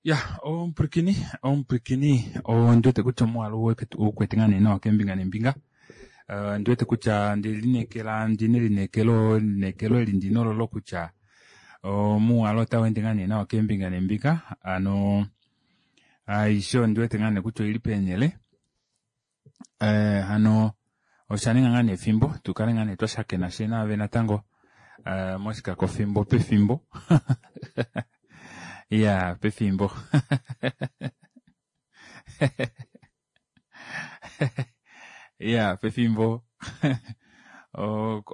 Ya omupwilikini omupwilikini ondi wete kutya omuwalo ukwete ngaa nee nawa keembinga neembinga ondi wete kutya ondelineekela ondina elineekelo elineekelo eli ndina ololo kutya omuwalo otaweende ngaa nee nawa keembinga neembinga hano aishe ondi wete ngaa nee kutya oili peenele hano oshaninga ngaa nee efimbo tukale ngaa nee twashakena fyee naave natango moshikakofimbo pefimbo iya pefimbo iya pefimbo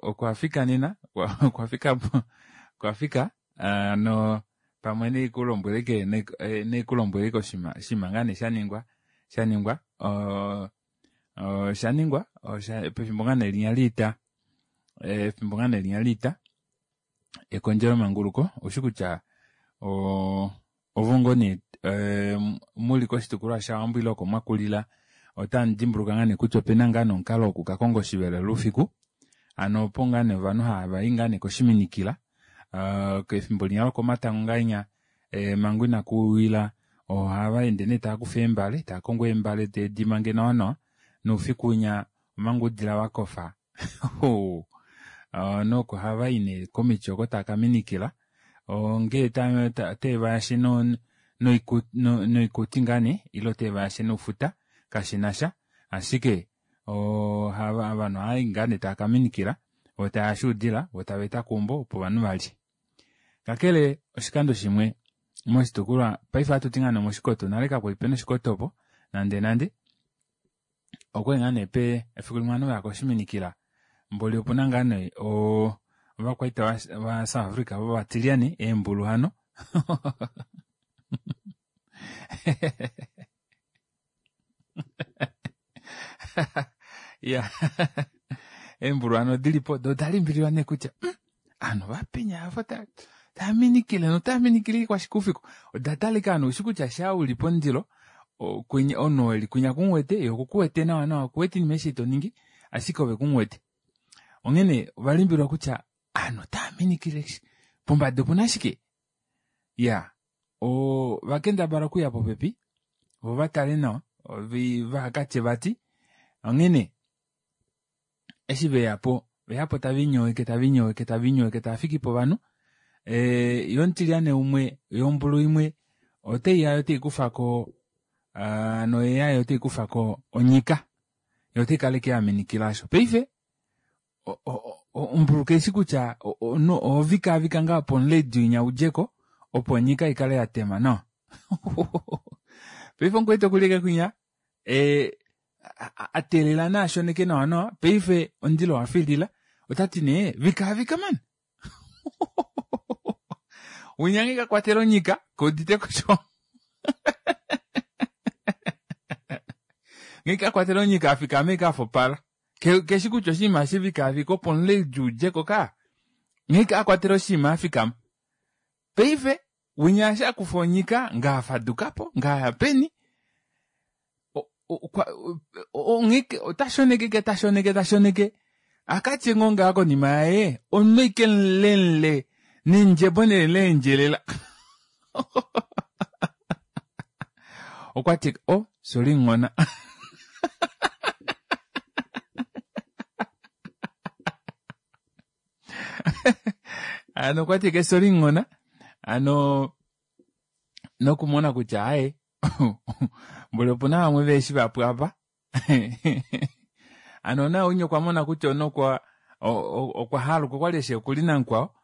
okwafika nena okwafika okwafika hano pamwe naikulombweleke naikulombweleke oshinima oshinima ngaa nee shaningwa shaningwa oshaningwa pefimbo ngaa nee linya liita efimbo ngaa nee linya liita ekondjelomanguluko oushi kutya ovo ngoo nee muli koshitukulwa shaWambo ile oko mwakulila otamu dimbuluka ngaa nee kutya opena ngaa nee omukalo woku kakonga oshivelelwa oufiku hano opo ngaa nee ovanhu hava i ngaa nee koshiminikila kefimbo linya lokomatango ngahenya manga inakuwila ohava ende nee taakufa eembale taakongo eembale teedimange nawa nawa noufiku winya omanga oudila wakofa noko ohavayi nee komiti oko tava kaminikila ongee otevayashe noikuti ngaa nee ile otevayashe noufuta kashinasha ashike ovanhu ohavayi ngaa nee tava kaminikila voo tavayashe oudila voo tavaeta keumbo opo ovanhu valye. Kakele oshikando shimwe moshitukulwa paife ohatuti ngaa nee omoshikoto nale kakwali pena oshikoto opo nande nande okwali ngaa nee efiku limwe ovanhu vaya koshiminikila mboli opuna ngaa nee ovakwaita va South Africa vovatilyane eembulu hano iya eembulu hano odilipo doo odalimbililwa nee kutya ovanhu ovapenya ava tava minikile notava minikile ashike oufiku oda talika hano oushi kutya shaa uli pomundilo omunhu oo eli kwinya kumuwete yee okukuwete nawa nawa okuwete oinima aishe ei toningi ashike ove kumuwete onghene ovalimbililwa kutya ovanhu otava minikile pombada opuna shike iyaa ovakendabala okuya popepi voo vatale nawa vahakatye vati onghene eshi veyapo oveyapo taviinyoweke taviinyoweke taviinyoweke tavafiki povanhu yee omutilyane umwe yee ombulu imwe otaiya yoo taikufako hano oyeya yoo taikufako onyika yee otaikala ashike yaminikila aasho paife ombulu kaishi kutya oho vikaavika ngaa opo omuledi winya udjeko opo onyika ikale yatema nawa paife omukwaita okuli ashike kwinya ateelela nee ashoneke nawa nawa paife omundilo owafilila otati nee vikaavika mani winya nghee kakwatela onyika keuditeko sho nghee kakwatela onyika afikama ashike afopala keshi kutya oshinima eshi vikaavika opo omuledi udjeko kaa nghee akwatela oshinima afikama paife winya eshi akufa onyika ngaa afadukapo ngaa aya peni ota shoneke ta shoneke ta shoneke akatye ngoo ngaa konima yaye omunhu ashike mulemule nendjebo nee leendjelela okwati oh sorry nghona hano okwati ke sorry nghona hano nokumona kutya aaye mboli opuna vamwe veeshi vapwa apa hano naye winya okwa mona kutya omunhu okwa okwa haluka okwali eshi okuli namukwao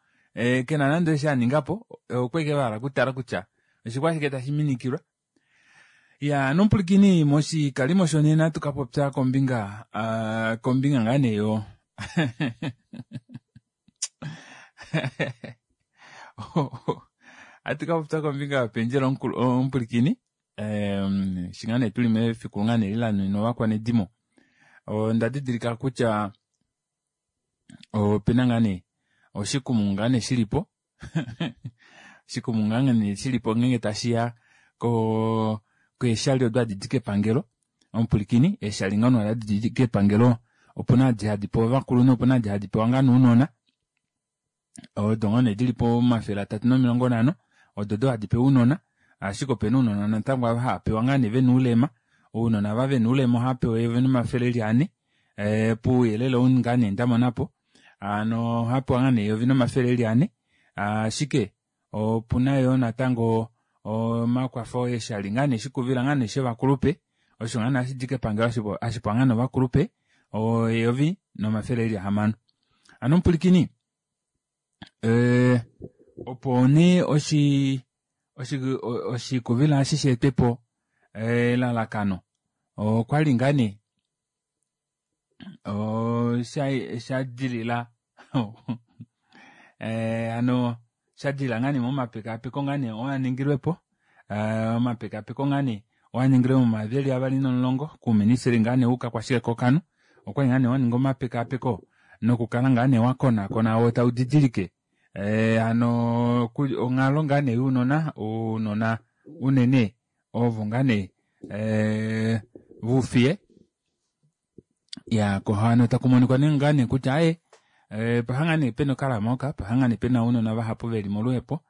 kena nande eshi aningapo okwali ashike vahala okutala kutya oshikwashike tashi minikilwa ya nomupwilikini moshikalimo shonena tukapopya kombinga kombinga ngaa nee yo ohatu kapopya kombinga yopendjela omupwilikini eshi ngaa nee tuli mefiku ngaa nee lanuninwa ovakwanedimo onda didilika kutya opena ngaa nee oshikumungu ngaa nee shilipo oshikumungu ngaa nee shilipo ngeenge tashiya keeshali odo hadi di kepangelo omupwilikini eeshali ngoo nee hadi di kepangelo opuna edi hadi pewa ovakulunhu opuna edi hadi pewa ngaa nee ounona odo ngoo nee dili po 350 odo odo hadi pewa ounona. Ashike opena ounona natango ava hava pewa ngaa nee vena oulema. Ounona ava vena oulema ohava pewa 1400 pouyelele ou ngaa nee ndamonapo. Hano ohava pewa ngaa nee 1400 ashike opuna yoo natango omakwafo eeshali ngaa nee shikuvila ngaa nee shovakulupe osho ngaa nee hashidi kepangelo hashipewa ngaa nee ovakulupe 1600. Hano omupwilikini opo nee oshikuvila eshi sheetwepo elalakano okwali ngaa nee shadilila hano shadilila ngaa nee momapekaapeko ngaa nee oo aningilwepo omapekaapeko ngaa nee oo aningilwe momayovi eli 2010 kouministeli ngaa nee woukakwashike kookanhu okwali ngaa nee waninga omapekaapeko nokukala ngaa nee wakonakona wo taudidilike hano onghalo ngaa nee younona ounona unene ovo ngaa nee voufiye ya kohano takumonikwa nee ngaa nee kutya aye paha ngaa nee pena okalamoka paha ngaa nee pena ounona vahapu veli moluhepo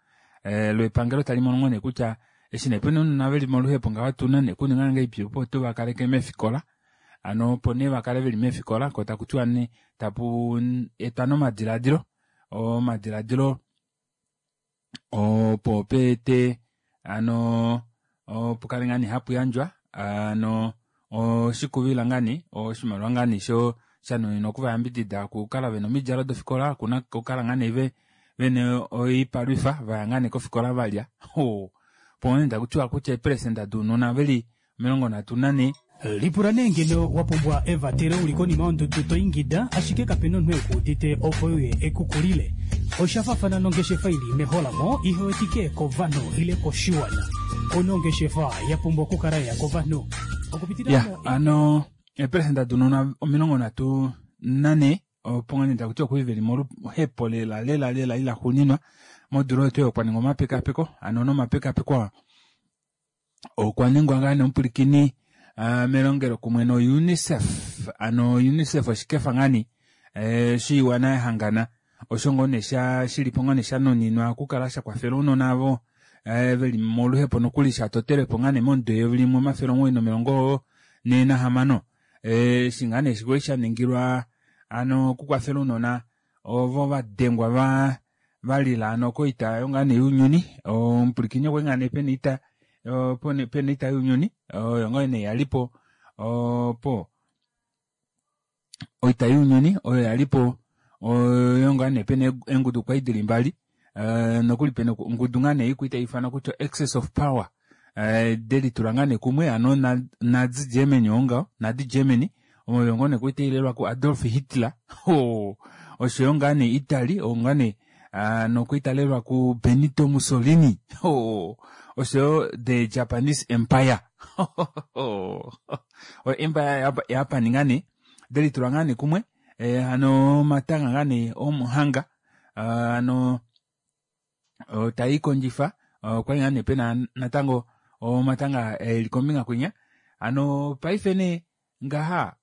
lwepangelo tali mono nee kutya eshi nee pena ounona veli moluhepo ngaho otuna nee kuninga ngahelipi opo tuvakaleke meefikola hano opo nee vakale veli meefikola ko takutiwa nee tapu etwa nomadilaadilo omadilaadilo opo peete hano opo kale ngaa nee hapu yandjwa hano oshikuvila ngaa nee oshimaliwa ngaa nee sho shanuninwa okuvayambidida okukala vena omidjalo dofikola okukala ngaa nee vena oipalwifa vaya ngaa nee kofikola valya opo nee takutiwa kutya eepelesenda dounona veli 34. Lipula nee ngeno wa pumbwa evatelo uli konima yondudu to ingida ashike kapena omunhu ekuudite opo uye ekukulile. Osha faafana nongeshefa ili meholamo ihewetike kovanhu ile koshiwana. Ono ongeshefa ya pumbwa okukala ya kovanhu. Ya, ano eepelesenda dounona 34 opo ngoo nee takutiwa okuli veli moluhepo lela lela lela ila xuuninwa modula oyo tuu okwa ningwa omapekapeko ano nomapekapeko aa okwa ningwa ngaa nee omupwilikini melongelo kumwe no UNICEF ano UNICEF oshikefa ngaa nee shiiwana yahangana osho ngoo nee shilipo ngoo nee shanuninwa okukala shakwafela ounona avo veli moluhepo nokuli shatotelwepo ngaa nee momudo 1946 eshi ngaa nee kwali shaningilwa ano okukwafela ounona ovo vadengwa valila ano koita yo ngaa nee younyuni omupwilikini okwali ngaa nee pena oita pena oita younyuni oyo ngoo nee yalipo opo oita younyuni oyo yalipo oyo ngaa nee pena eengudu kwali dili mbali nokuli pena ongudu ngaa nee ikwa taifanwa kutya Axis of Power delitula ngaa nee kumwe ano Nazi Germany ongaho Nazi Germany oyo ngoo nee kwali tailelwa ku Adolf Hitler oshoyo ngaa nee Italy oyo ngaa nee nokwali talelwa ku Benito Mussolini oshoyo the Japanese Empire oyo Empire Japan ngaa nee delitula ngaa nee kumwe hano omatanga ngaa nee omuhanga hano taikondjifa okwali ngaa nee pena natango omatanga eli kombinga kwinya hano paife nee ngaha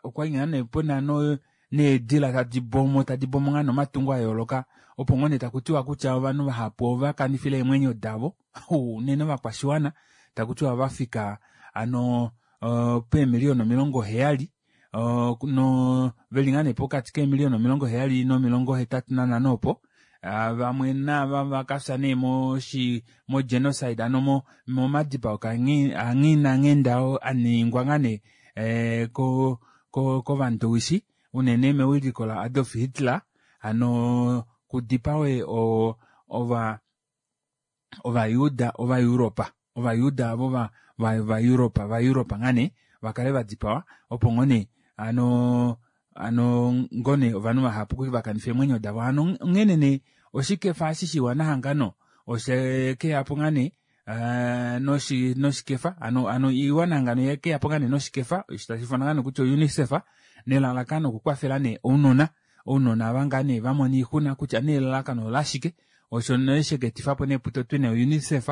okwali ngaa nee pena needila tadi bomo tadi bomo ngaa nomatungo ayooloka opo ngoo nee takutiwa kutya ovanhu vahapu ovakanifile eemwenyo davo unene ovakwashiwana takutiwa vafika ano peemiliyona 70 no veli ngaa nee pokati keemiliyona 70 no85 opo vamwe nava vakafya nee mo genocide ano momadipao anghinanghenda aningwa ngaa nee kovandowishi unene mewiliko la Adolf Hitler ano kudipawe Ovayuda Ovaeuropa Ovayuda avo Vaeuropa Vaeuropa ngaa nee vakale vadipawa opo ngoo nee ano ano ngoo nee ovanhu vahapu vakanifa eemwenyo davo hano onghene nee oshikefa eshi shiwana hangano oshekeyapo ngaa nee noshikefa ano iiwana hangano yekeyapo ngaa nee noshikefa tashi ifanwa ngaa nee kutya UNICEF nelalakano okukwafela nee ounona ounona ava ngaa nee vamona oixuna kutya nee elalakano olashike osho nee sheketifapo nee putotwe nee UNICEF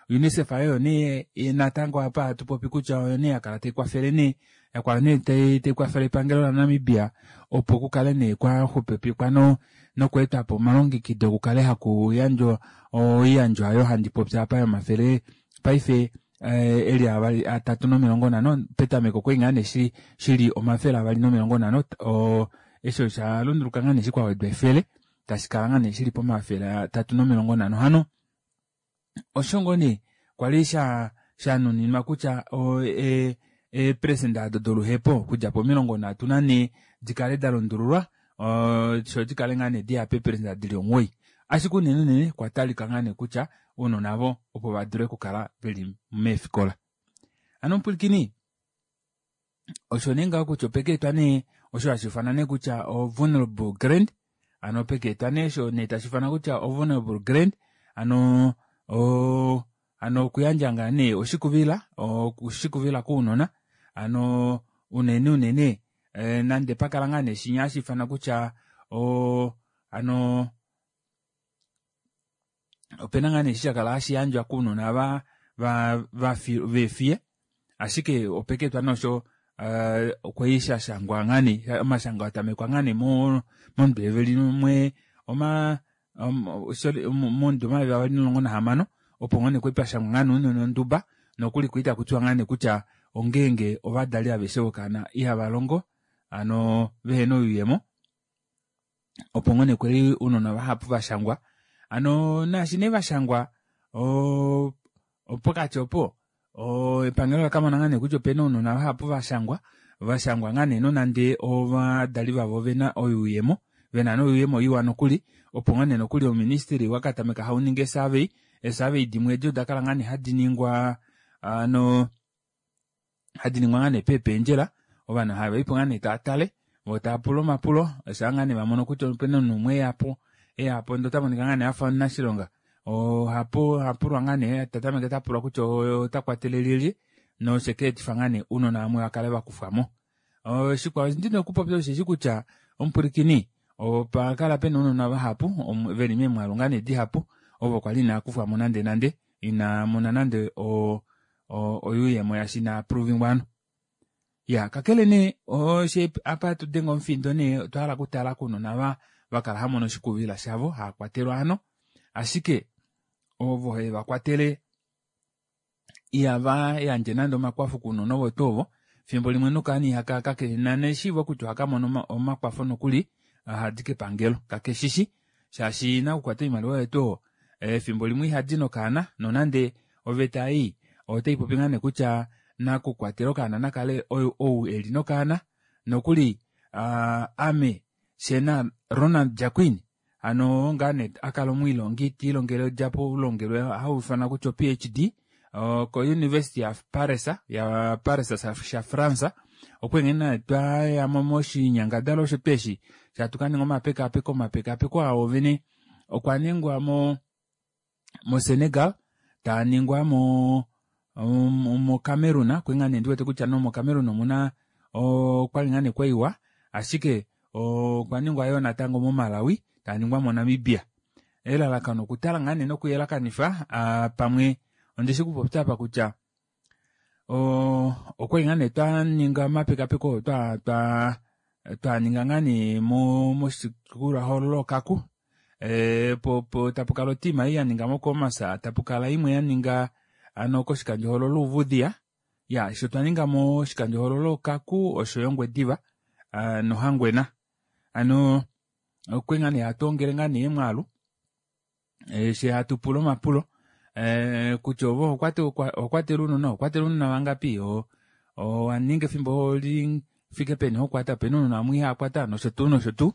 UNICEF oyo nee natango apa hatu popi kutya oyo nee yakala taikwafele nee. Yakwala nee taikwafele epangelo laNamibia opo kukale nee kwaxupipikwa nokweetwapo omalongekido kukale haku yandjwa oiyandjwa aayo handi popi apa yomafele paife eli 350 petameko okwali ngaa nee shili 250 eshi osha lunduluka ngaa nee eshi kwawedwa efele tashikala ngaa nee shili pomafele 350 hano osho ngoo nee kwali shanuninwa kutya eepresenda ado doluhepo okudja po 34 dikale dalundululwa sho dikale ngaa nee diya peepresenda dili 9 ashike unene unene kwa talika ngaa nee kutya ounona avo opo vadule okukala veli meefikola. Hano omupwilikini osho nee ngaho kutya opekeetwa nee osho hashiifanwa nee kutya o vulnerable grant hano pekeetwa nee osho nee tashiifanwa kutya o vulnerable grant hano hano okuyandja ngaa nee oshikuvila oshikuvila kounona hano unene unene nande pakala ngaa nee shinya hashiifanwa kutya hano opena ngaa nee eshi shakala hashi yandjwa kounona veefiye ashike opekeetwa nosho okwali shashangwa ngaa nee omashango atamekwa ngaa nee momudo eveli mwe momudo 2016 opo ngoo nee kwali pashangwa ngaa nee ounona onduba nokuli kwali takutiwa ngaa nee kutya ongeenge ovadali aveshe vokaana ihava longo hano vehena oyuuyemo opo ngoo nee kwali ounona vahapu vashangwa hano naashi nee vashangwa pokati opo epangelo lakamona ngaa nee kutya opena ounona vahapu vashangwa vashangwa ngaa nee nonande ovadali vavo ovena oyuuyemo vena noyuuyemo iwa nokuli opo ngoo nee nokuli oministry wakatameka hauningi esurvey esurvey dimwe edi odakala ngaa nee hadi ningwa ano hadi ningwa ngaa nee peependjela ovanhu havaipo ngaa nee taatale voo taapula omapulo shaa ngaa nee vamono kutya opena omunhu umwe eyapo eyapo ndee otamonika ngaa nee afa omunashilonga ohapulwa ngaa nee tatameke tapulwa kutya otakwatele lyelye noshekeetifa ngaa nee ounona vamwe vakale vakufwamo. Shikwao ndina okupopya osheshi kutya omupwilikini opakala pena ounona vahapu veli meemwaalu ngaa nee dihapu ovo kwali inaakufwamo nande nande inamona nande oyuuyemo yasha inaaprovingwa ano. Ya kakele nee oshe apa tudenga omufindo nee otwa hala okutala kounona vakala hamono oshikuvila shavo haakwatelwa ano ashike ovo hevakwatele ihava yandje nande omakwafo kounona ovo tuu ovo fimbo limwe nokaana ihaka kakena neshiivo kutya ohaka mono omakwafo nokuli ahadi kepangelo kakeshishi shaashi nakukwata oimaliwa yetu efimbo limwe ihadi nokaana nonande oveta ei otaipopi ngaa nee kutya nakukwatela okaana nakale ou eli nokaana nokuli ame shena Ronald Jacquin hano ngaa nee akala omwiilongi tiilongele odjapo oulongelwe hauifanwa kutya PhD ko University ya Paris ya Paris sha France okwali nee twayamo moshinyangadalwa osho tweshi shatukaninga omapekapeko omapekapeko awo vene okwa ningwa mo Senegal taningwa mo Cameroon kwali ngaa nee ndiwete kutya no mo Cameroon omuna okwali ngaa nee kwaiwa ashike okwa ningwa yoo natango mo Malawi taningwa mo Namibia elalakano okutala ngaa nee nokuyelakanifa pamwe ondishi kupopya apa kutya okwali ngaa nee twaninga omapekapeko twaninga ngaa nee moshitukulwahoololo Okaku tapukala otima ei yaninga moKhomas tapukala imwe yaninga ano koshikandjohoololo Uuvudhiya ya sho twaninga moshikandjohoololo Okaku oshoyo Ongwediva noHangwena ano okwali ngaa nee hatu ongele ngaa nee emwaalu she hatupula omapulo kutya ove ohokwatele ounona ohokwatele ounona vangapi owaninga efimbo lifike peni hokwata opena ounona vamwe ihaakwata nosho tuu nosho tuu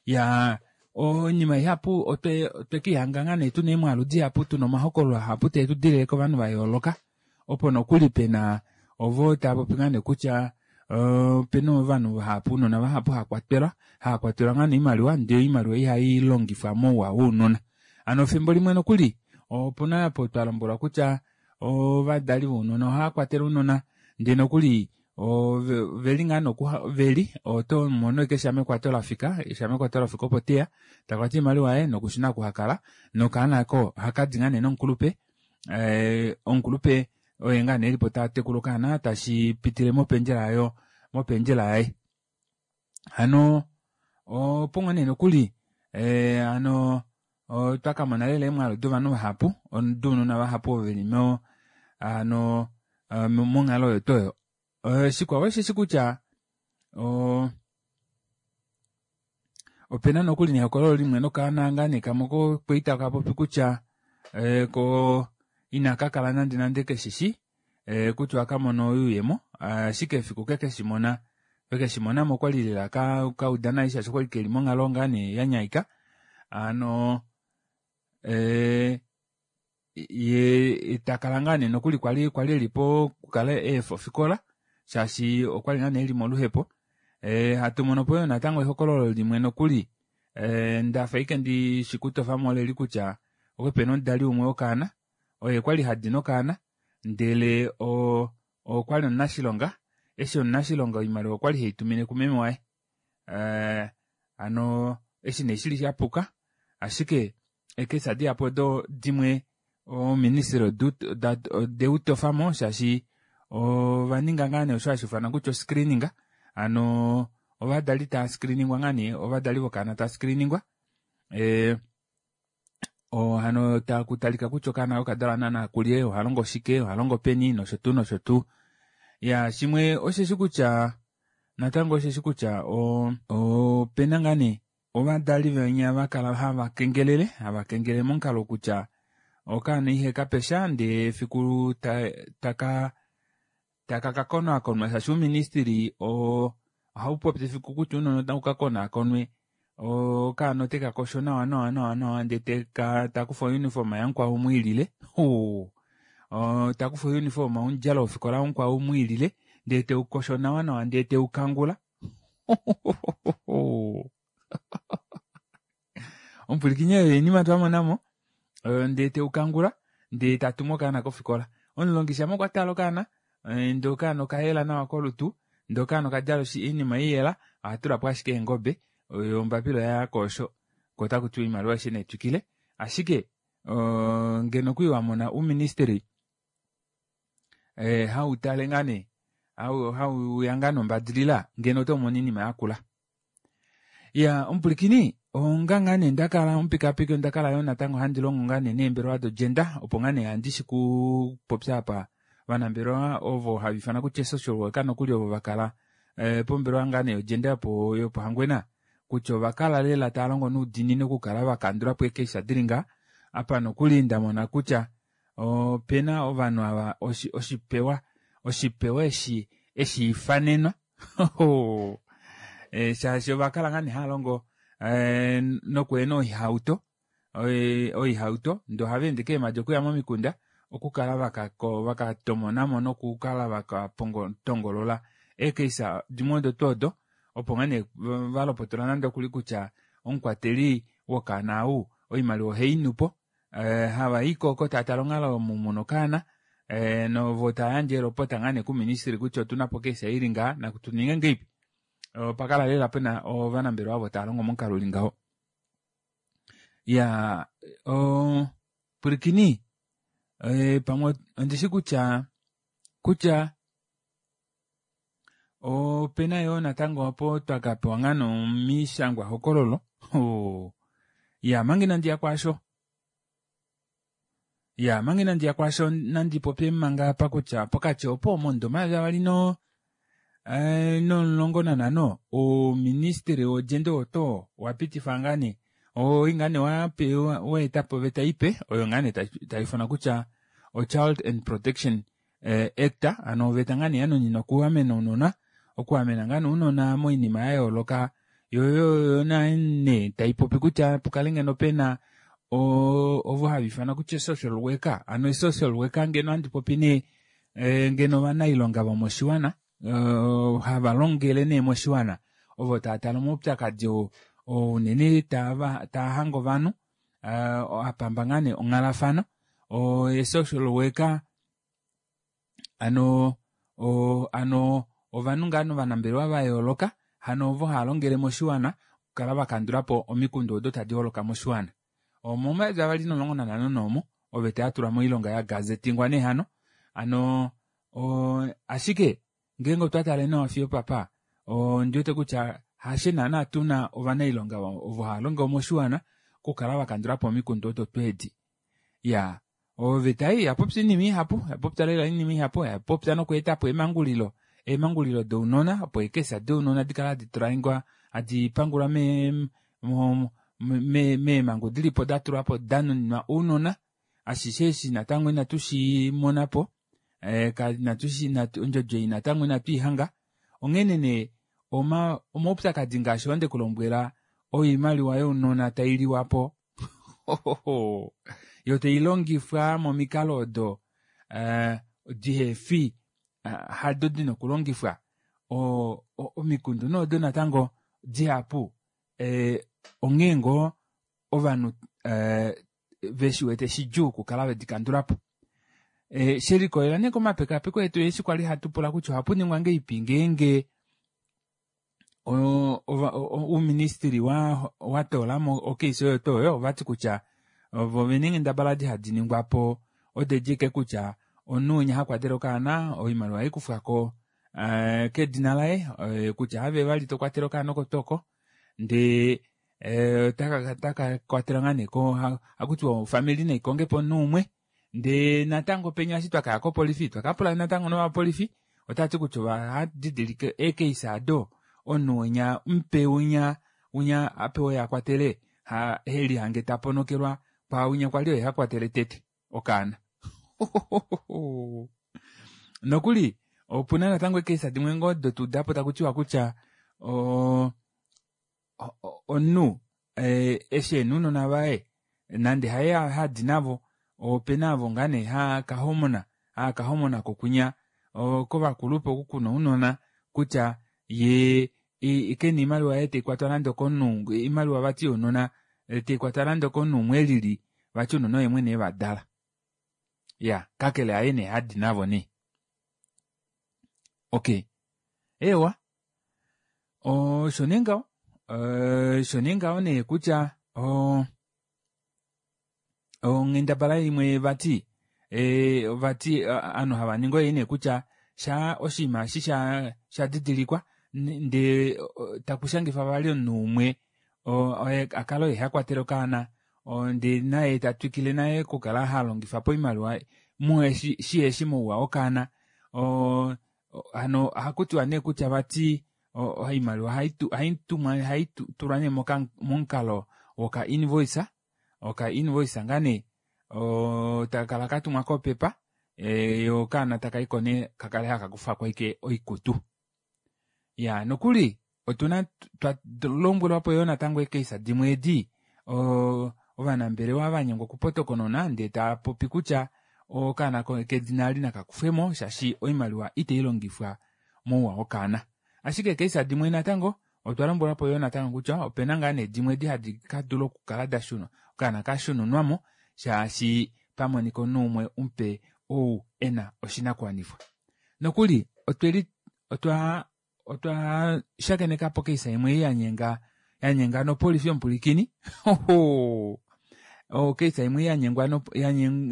ya oinima ihapu otwekihanga ngaa nee tuna eemwaalu dihapu tuna omahokololo ahapu teetudilile kovanhu vayooloka opo nokuli pena ovo taapopi ngaa nee kutya opena ovanhu vahapu ounona vahapu haakwatelwa haakwatelwa ngaa nee oimaliwa ndee oimaliwa ihailongifwa mouwa wounona hano efimbo limwe nokuli opuna apo twalombwelwa kutya ovadali vounona ohaakwatele ounona ndee nokuli oveli ngaa noku veli otomono ashike shamekwato lafika shamekwato lafika opo teya takwata oimaliwa yaye nokushuna oku hakala nokaana ako ohakadi ngaa nee nomukulupe omukulupe oye ngaa nee elipo tatekula okaana tashi pitile mopendjela aayo mopendjela yaye. Hano opo ngoo nee nokuli hano otwakamona lela eemwaalu dovanhu vahapu dounona vahapu ovo veli mo hano monghalo oyo tuu oyo. Shikwao osheshi kutya opena nokuli nehokololo limwe nokaana ngaa nee kamwe kokwali takapopi kutya ko inakakala nande nande keshishi kutya ohakamona oyuuyemo ashike efiku kekeshimona vekeshimonamo okwali lela kauda nai shaashi okwali keli monghalo ngaa nee yanyaika hano ye takala ngaa nee nokuli kwali kwali elipo okukala eefa ofikola shaashi okwali ngaa nee eli moluhepo. Hatu mono po yoo natango ehokololo limwe nokuli ndafa ashike ndishikutofamo oleli kutya okwali pena omudali umwe wokaana oye kwali hadi nokaana ndele okwali omunashilonga eshi omunashilonga oimaliwa okwali heitumine kumeme waye hano eshi nee shili shapuka ashike eekesa dihapu odo dimwe oministry odeutofamo shaashi ovaninga ngaa nee osho hashi ufanwa kutya oscreening hano ovadali tava screeningwa ngaa nee ovadali vokaana tava screeningwa hano takutalika kutya okaana okadalwa naana kulye ohalongo shike ohalongo peni nosho tuu nosho tuu. Ya shimwe osheshi kutya natango osheshi kutya opena ngaa nee ovadali venya vakala hava kengelele momukalo kutya okaana ihe kapesha ndee efiku taka kakonaakonwa shaashi ouministili ohaupopi efiku kutya ounona otaukakonaakonwe okaana otekakosho nawa nawa nawa nawa ndee takufa ouniform yamukwao umwiilile takufa ouniform omudjalo wofikola wamukwao umwiilile ndee teukosho nawa nawa ndee teukangula omupwilikini oyo oinima twamonamo ndee teukangula ndee tatumu okaana kofikola omulongi shama okwa tala okaana ndee okaana okayela nawa kolutu ndee okaana okadjala oinima iyela ohatulapo ashike eengobe oyo ombapila oyaya koosho ko otakutiwa oimaliwa aishe naitwikile ashike ngeno okwali wamona ouministry hautale ngaa nee hauya ngaa nombadilila ngeno otomono oinima yakula. Ya omupwilikini onga ngaa nee ndakala omupikapiki ondakala yoo natango handi longo ngaa nee neembelewa dogender opo ngaa nee handi shikupopya apa ovanambelewa ovo hava ifana kutya social worker nokuli ovo vakala pombelewa ngaa nee yogender yopohangwena kutya ovakala lela tava longo noudiinini okukala vakandulapo eekesa dili nga apa nokuli ndamona kutya opena ovanhu ava oshipewa eshi eshiifanenwa shaashi ovakala ngaa nee hava longo nokuena oihauto oihauto ndee ohava ende keemadi okuya momikunda okukala vakatomonamo nokukala vakatongolola eekesa dimwe odo tuu odo opo ngaa nee valopotola nande okuli kutya omukwateli wokaana ou oimaliwa oheinupo havaiko oko taatala onghalo omu muna okaana novo tayandje elopota ngaa nee kuministry kutya otunapo okesa ili ngaa nakutuninge ngeipi opakala lela pena ovanambelewa ovo tava longo momukalo uli ngaho. Ya pwilikini pamwe ondishi kutya kutya opena yoo natango opo twakapewa ngaa nomishangwa hokololo ya manga inandiya kwaasho ya manga inandiya kwaasho nandipopye manga apa kutya pokati opo momudo 2015 ouministry wogender oto wapitifa ngaa nee oi ngaa nee waetapo oveta ipe oyo ngaa nee taifanwa kutya o-Child and Protection Act ano oveta ngaa nee yanuninwa okuamena ounona okuamena ngaa nee ounona moinima yayooloka yo nee taipopi kutya pukale ngeno pena ovo hava ifanwa kutya social worker ano social worker ngeno handi popi nee ngeno ovanailonga vomoshiwana hava longele nee moshiwana ovo tava tala omaupyakadi oo unene taahange ovanhu apamba ngaa nee onghalafano social worker ano ano ovanhu ngaa ovanambelewa vayooloka hano ovo hava longele moshiwana okukala vakandulapo omikundu odo tadi holoka moshiwana. Omo 2015 noomo oveta yatulwa moilonga yagazetingwa nee hano ano ashike Ngeenge otwa tale nawa fiyo opapa, ondi wete kutya hashe naana tuna ovanailonga ovo hava longo moshiwana okukala vakandula po omikundu odo tuu edi. Iyaa, oveta ei oyapopya oinima ihapu, oyapopya lela oinima ihapu, oyapopya nokweetapo eemangulilo, eemangulilo dounona opo eekesa dounona dikale hadi tulaingwa hadi pangulwa mee meemhangu dilipo datulwapo danuninwa ounona. Ashishe eshi natango inatu shimona po, ondjodi ei natango inatu ihanga. Onghene nee omaupyakadi ngaashi oo ndekulombwela oimaliwa younona tailiwa po yo tailongifwa momikalo odo dihefi hado dina okulongifwa. Omikundu nee odo natango dihapu onghee ngoo ovanhu veshiwete shidjuu okukala vedikandulapo. Shelikolela nee komapekapeko etu eshi kwali hatu pula kutya ohapuningwa ngahelipi ngeenge ouministili watoolamo ocase oyo tuu oyo, ovati kutya vo ovena eenghendabala edi hadi ningwapo odedi ashike kutya omunhu winya hakwatele okaana oimaliwa ohaikufwako kedina laye kutya have vali tokwatele okaana oko tuu oko ndee otaka kwatelwa ngaa nee ohakutiwa ofamili naikongepo omunhu umwe ndee natango penya eshi twakaya kopolifi twakapula natango novapolifi otavati kutya ovadidilika eecase aado omunhu winya mupe winya winya apewa oye akwatele helihange taponokelwa kwaawinya kwali oye hakwatele tete okaana. Nokuli opuna natango eecase dimwe ngoo dotuudapo takutiwa kutya omunhu eshi ena ounona vaye nande haye hadi navo opena avo ngaa nee haakahomona haakahomona kokunya kovakulupe oku kuna ounona kutya yee kena oimaliwa yaye taikwatwa nande okomunhu oimaliwa vati younona taikwatwa nande okomunhu umwe elili vati ounona oye mwene evadala. Iya, kakele haye nee hadi navo nee. Okay, eewa osho nee ngaho osho nee ngaho nee kutya onghendabala imwe vati vati ovanhu hava ningi oyo nee kutya sha oshinima eshi shadidilikwa ndee takushangifa vali omunhu umwe oye akale oye hakwatele okaana ndee naye tatwikile naye okukala halongifa po oimaliwa shiheshi mouwa wokaana. Hano ohakutiwa nee kutya vati oimaliwa haitulwa nee momukalo woka invoice, oka invoice ngaa nee takakala katumwa kopepa yo okaana takaiko nee kakale hakakufako ashike oikutu. Iyaa nokuli otuna twalombwelwapo yoo natango eecase dimwe edi ovanambelewa vanyengwa okupotokonona ndee taapopi kutya okaana kedina eli nakakufwemo shaashi oimaliwa itailongifwa mouwa wokaana. Ashike eecase dimwe natango otwa lombwelwapo yoo natango kutya opena ngaa nee dimwe edi hadi kadula okukala dashunwa okaana kashununwamo shaashi pamonika omunhu umwe mupe ou ena oshinakuwanifwa. Nokuli otweli otwa otwa shakenekapo case imwe ei yanyenga yanyenga nopolifi omupwilikini ocase imwe yanyengwa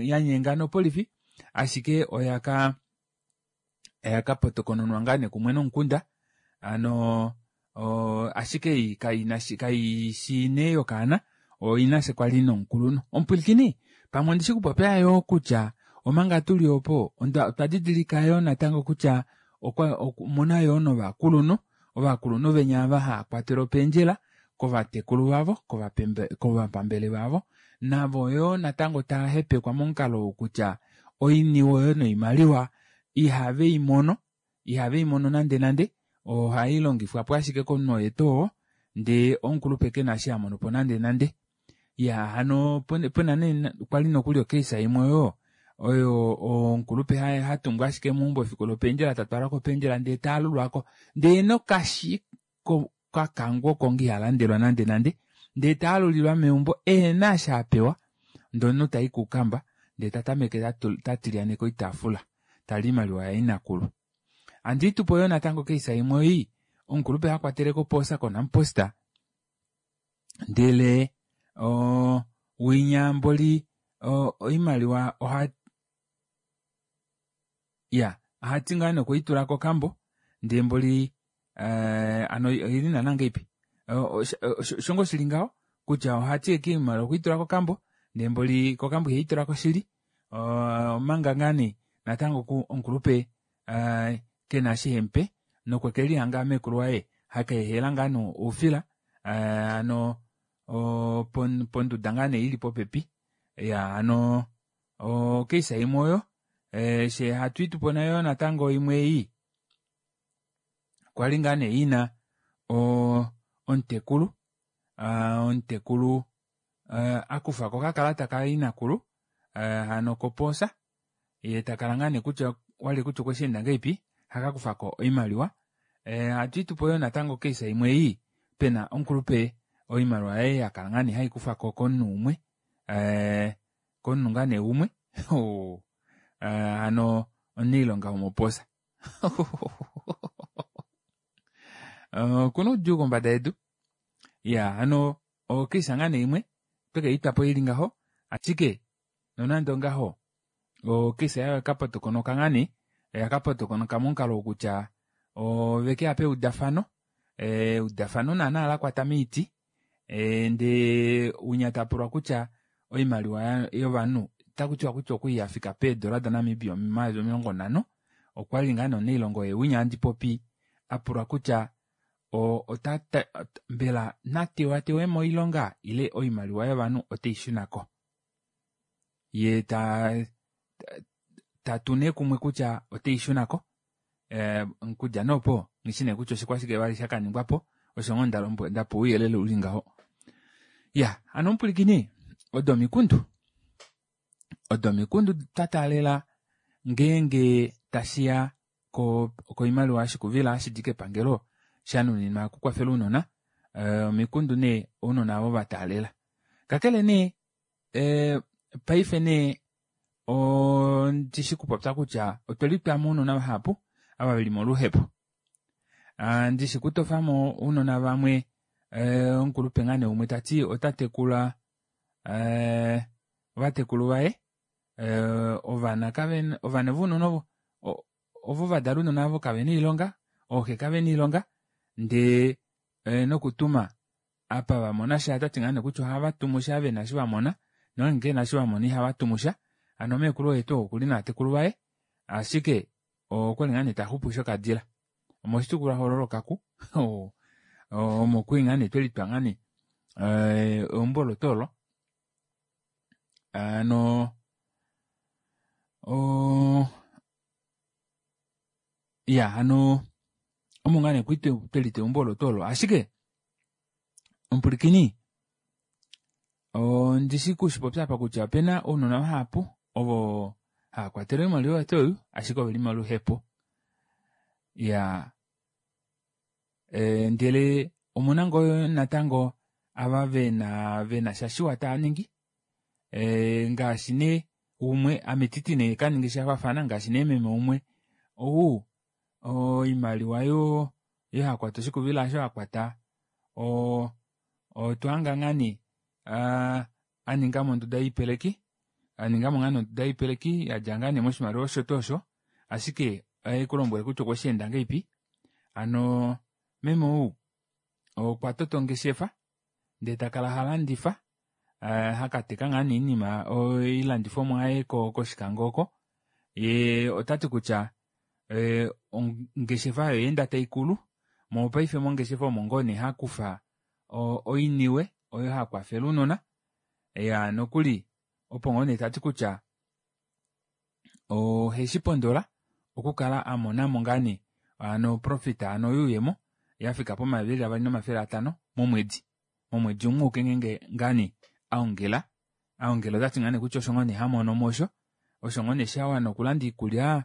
yanyenga nopolifi ashike oyaka oyakapotokononwa ngaa nee kumwe nomukunda hano ashike ei kaishi nee yokaana oina she kwali nomukulunhu. Omupwilikini pamwe ondishi kupopya yoo kutya omanga tuli opo otwa didilika yoo natango kutya omuna yoo novakulunhu ovakulunhu venya ava haakwatelwa opendjela kovatekulu vavo kovapambele vavo navo yoo natango tava hepekwa momukalo ou kutya oiniwe oyo noimaliwa ihaveimono ihaveimono nande nande ohailongifwapo ashike komunhu oye tuu oo ndee omukulupe kena eshi amonopo nande nande. Iyaa hano pena nee kwali nokuli ocase imwe oyo oyo omukulupe hatumbwa ashike meumbo efiku lopendjela tatwalwa kopendjela ndee taalulwako ndee nokashi kakangwa oko nga ihalandelwa nande nande ndee taalulilwa meumbo ehena eshi apewa ndee omunhu tai kuukamba ndee tatameke tatilyaneke oitaafula tali oimaliwa yainakulu. Handiitupo yoo natango case imwe ei omukulupe hakwatele kopoosa koNampost ndele winya mboli oimaliwa oha iya ohati ngaa nee okweitula kokambo. Ndee mboli hano oili naana ngahelipi? Osho ngoo shili ngaho kutya ohati ashike oimaliwa okweitula kokambo ndee mboli kokambo iheitulako shili omanga ngaa nee natango omukulupe kena eshi hemupe nokwekelihanga meekulu waye hakaehela ngaa nee oufila hano ponduda ngaa nee ili popepi iyaa hano ocase imwe oyo fyee hatu tupona yoo natango imwe ei kwali ngaa nee ina omutekulu omutekulu akufako okakalata kainakulu hano kopoosa yee takala ngaa nee kutya walye kutya okwesheenda ngahelipi hakakufako oimaliwa hatuitupo yoo natango ocase imwe ei pena omukulupe oimaliwa yaye yakala ngoo nee haikufwako komunhu umwe komunhu ngoo nee umwe hano omunailonga womopoosa okuna oudjuu kombada yedu iyaa hano ocase ngaa nee imwe twekeitwapo ili ngaho ashike nonande ongaho ocase aayo oyakapotokonoka ngaa nee oyakapotokonoka momukalo ou kutya ovekeya peudafano eudafano naana lakwata moiti ndee winya tapulwa kutya oimaliwa yovanhu otakutiwa kutya okwali yafika peedola da namibia 50 000 okwali ngaa nee omunailonga oye winya handi popi apulwa kutya mbela natewatewe moilonga ile oimaliwa yovanhu oteishunako yee tatu nee kumwe kutya oteishunako okudja nee opo nghishi nee kutya oshikwashike vali shakaningwapo osho ngoo ndapewa ouyelele uli ngaho iya hano omupwilikini odo omikundu odo omikundu twataalela ngeenge tashiya koimaliwa yoshikuvila hashidi kepangelo shanuninwa okukwafela ounona omikundu nee ounona avo vataalela kakele nee paife nee ondishi kupopya kutya otwelitwamo ounona vahapu ava veli moluhepo ndishi kutofamo ounona vamwe omukulupe ngaa nee umwe tati otatekula ovatekulu vaye ovana kavena ovana vounona ovo ovo vadala ounona ovo kavena oilonga ooxe kavena oilonga ndee nokutuma apa vamona sha otati ngaa nee kutya ohava tumu shaa vena eshi vamona nongenge kevena eshi vamona ihava tumusha hano meekulu oye tuu okuli novatekulu vaye ashike okwali ngaa nee taxupu shokadila omoshitukulwa hoololo Okaku omo kwali ngaa nee twelitwa ngaa nee eumbo olo tuu olo hano iya hano omo ngaa nee kwali twelitwa eumbo olo tuu olo ashike omupwilikini ondishi kushipopya apa kutya opena ounona vahapu ovo hava kwatele oimaliwa yetu oyu ashike oveli moluhepo iyaa ndele omuna ngoo natango ava vena sha shiwa taaningi ngaashi nee umwe ame ititi nee kaningi shafaafana ngaashi nee meme umwe ou oimaliwa yo hakwata oshikuvila aasho akwata otwahanga ngaa nee aningamo onduda yoipeleki aningamo ngaa nee onduda yoipeleki yadja ngaa nee moshimaliwa osho tuu osho ashike ohaikulombwele kutya okwesheenda ngahelipi hano meme ou okwa tota ongeshefa ndee takala halandifa hakateka ngaa nee oinima oilandifomwa yaye koshikango oko yee otati kutya ongeshefa oyo oyaenda taikulu mopaife mongeshefa omo ngoo nee hakufa oiniwe oyo hakwafele ounona iyaa nokuli opo ngoo nee tati kutya oheshipondola okukala amonamo ngaa nee hano oprofit hano oyuuyemo yafika pomayovi eli 2500 momwedi momwedi umwe auke ngeenge ngaa nee aongela aongela otati ngaa nee kutya osho ngoo nee hamonomo osho osho ngoo nee shawana okulanda oikulya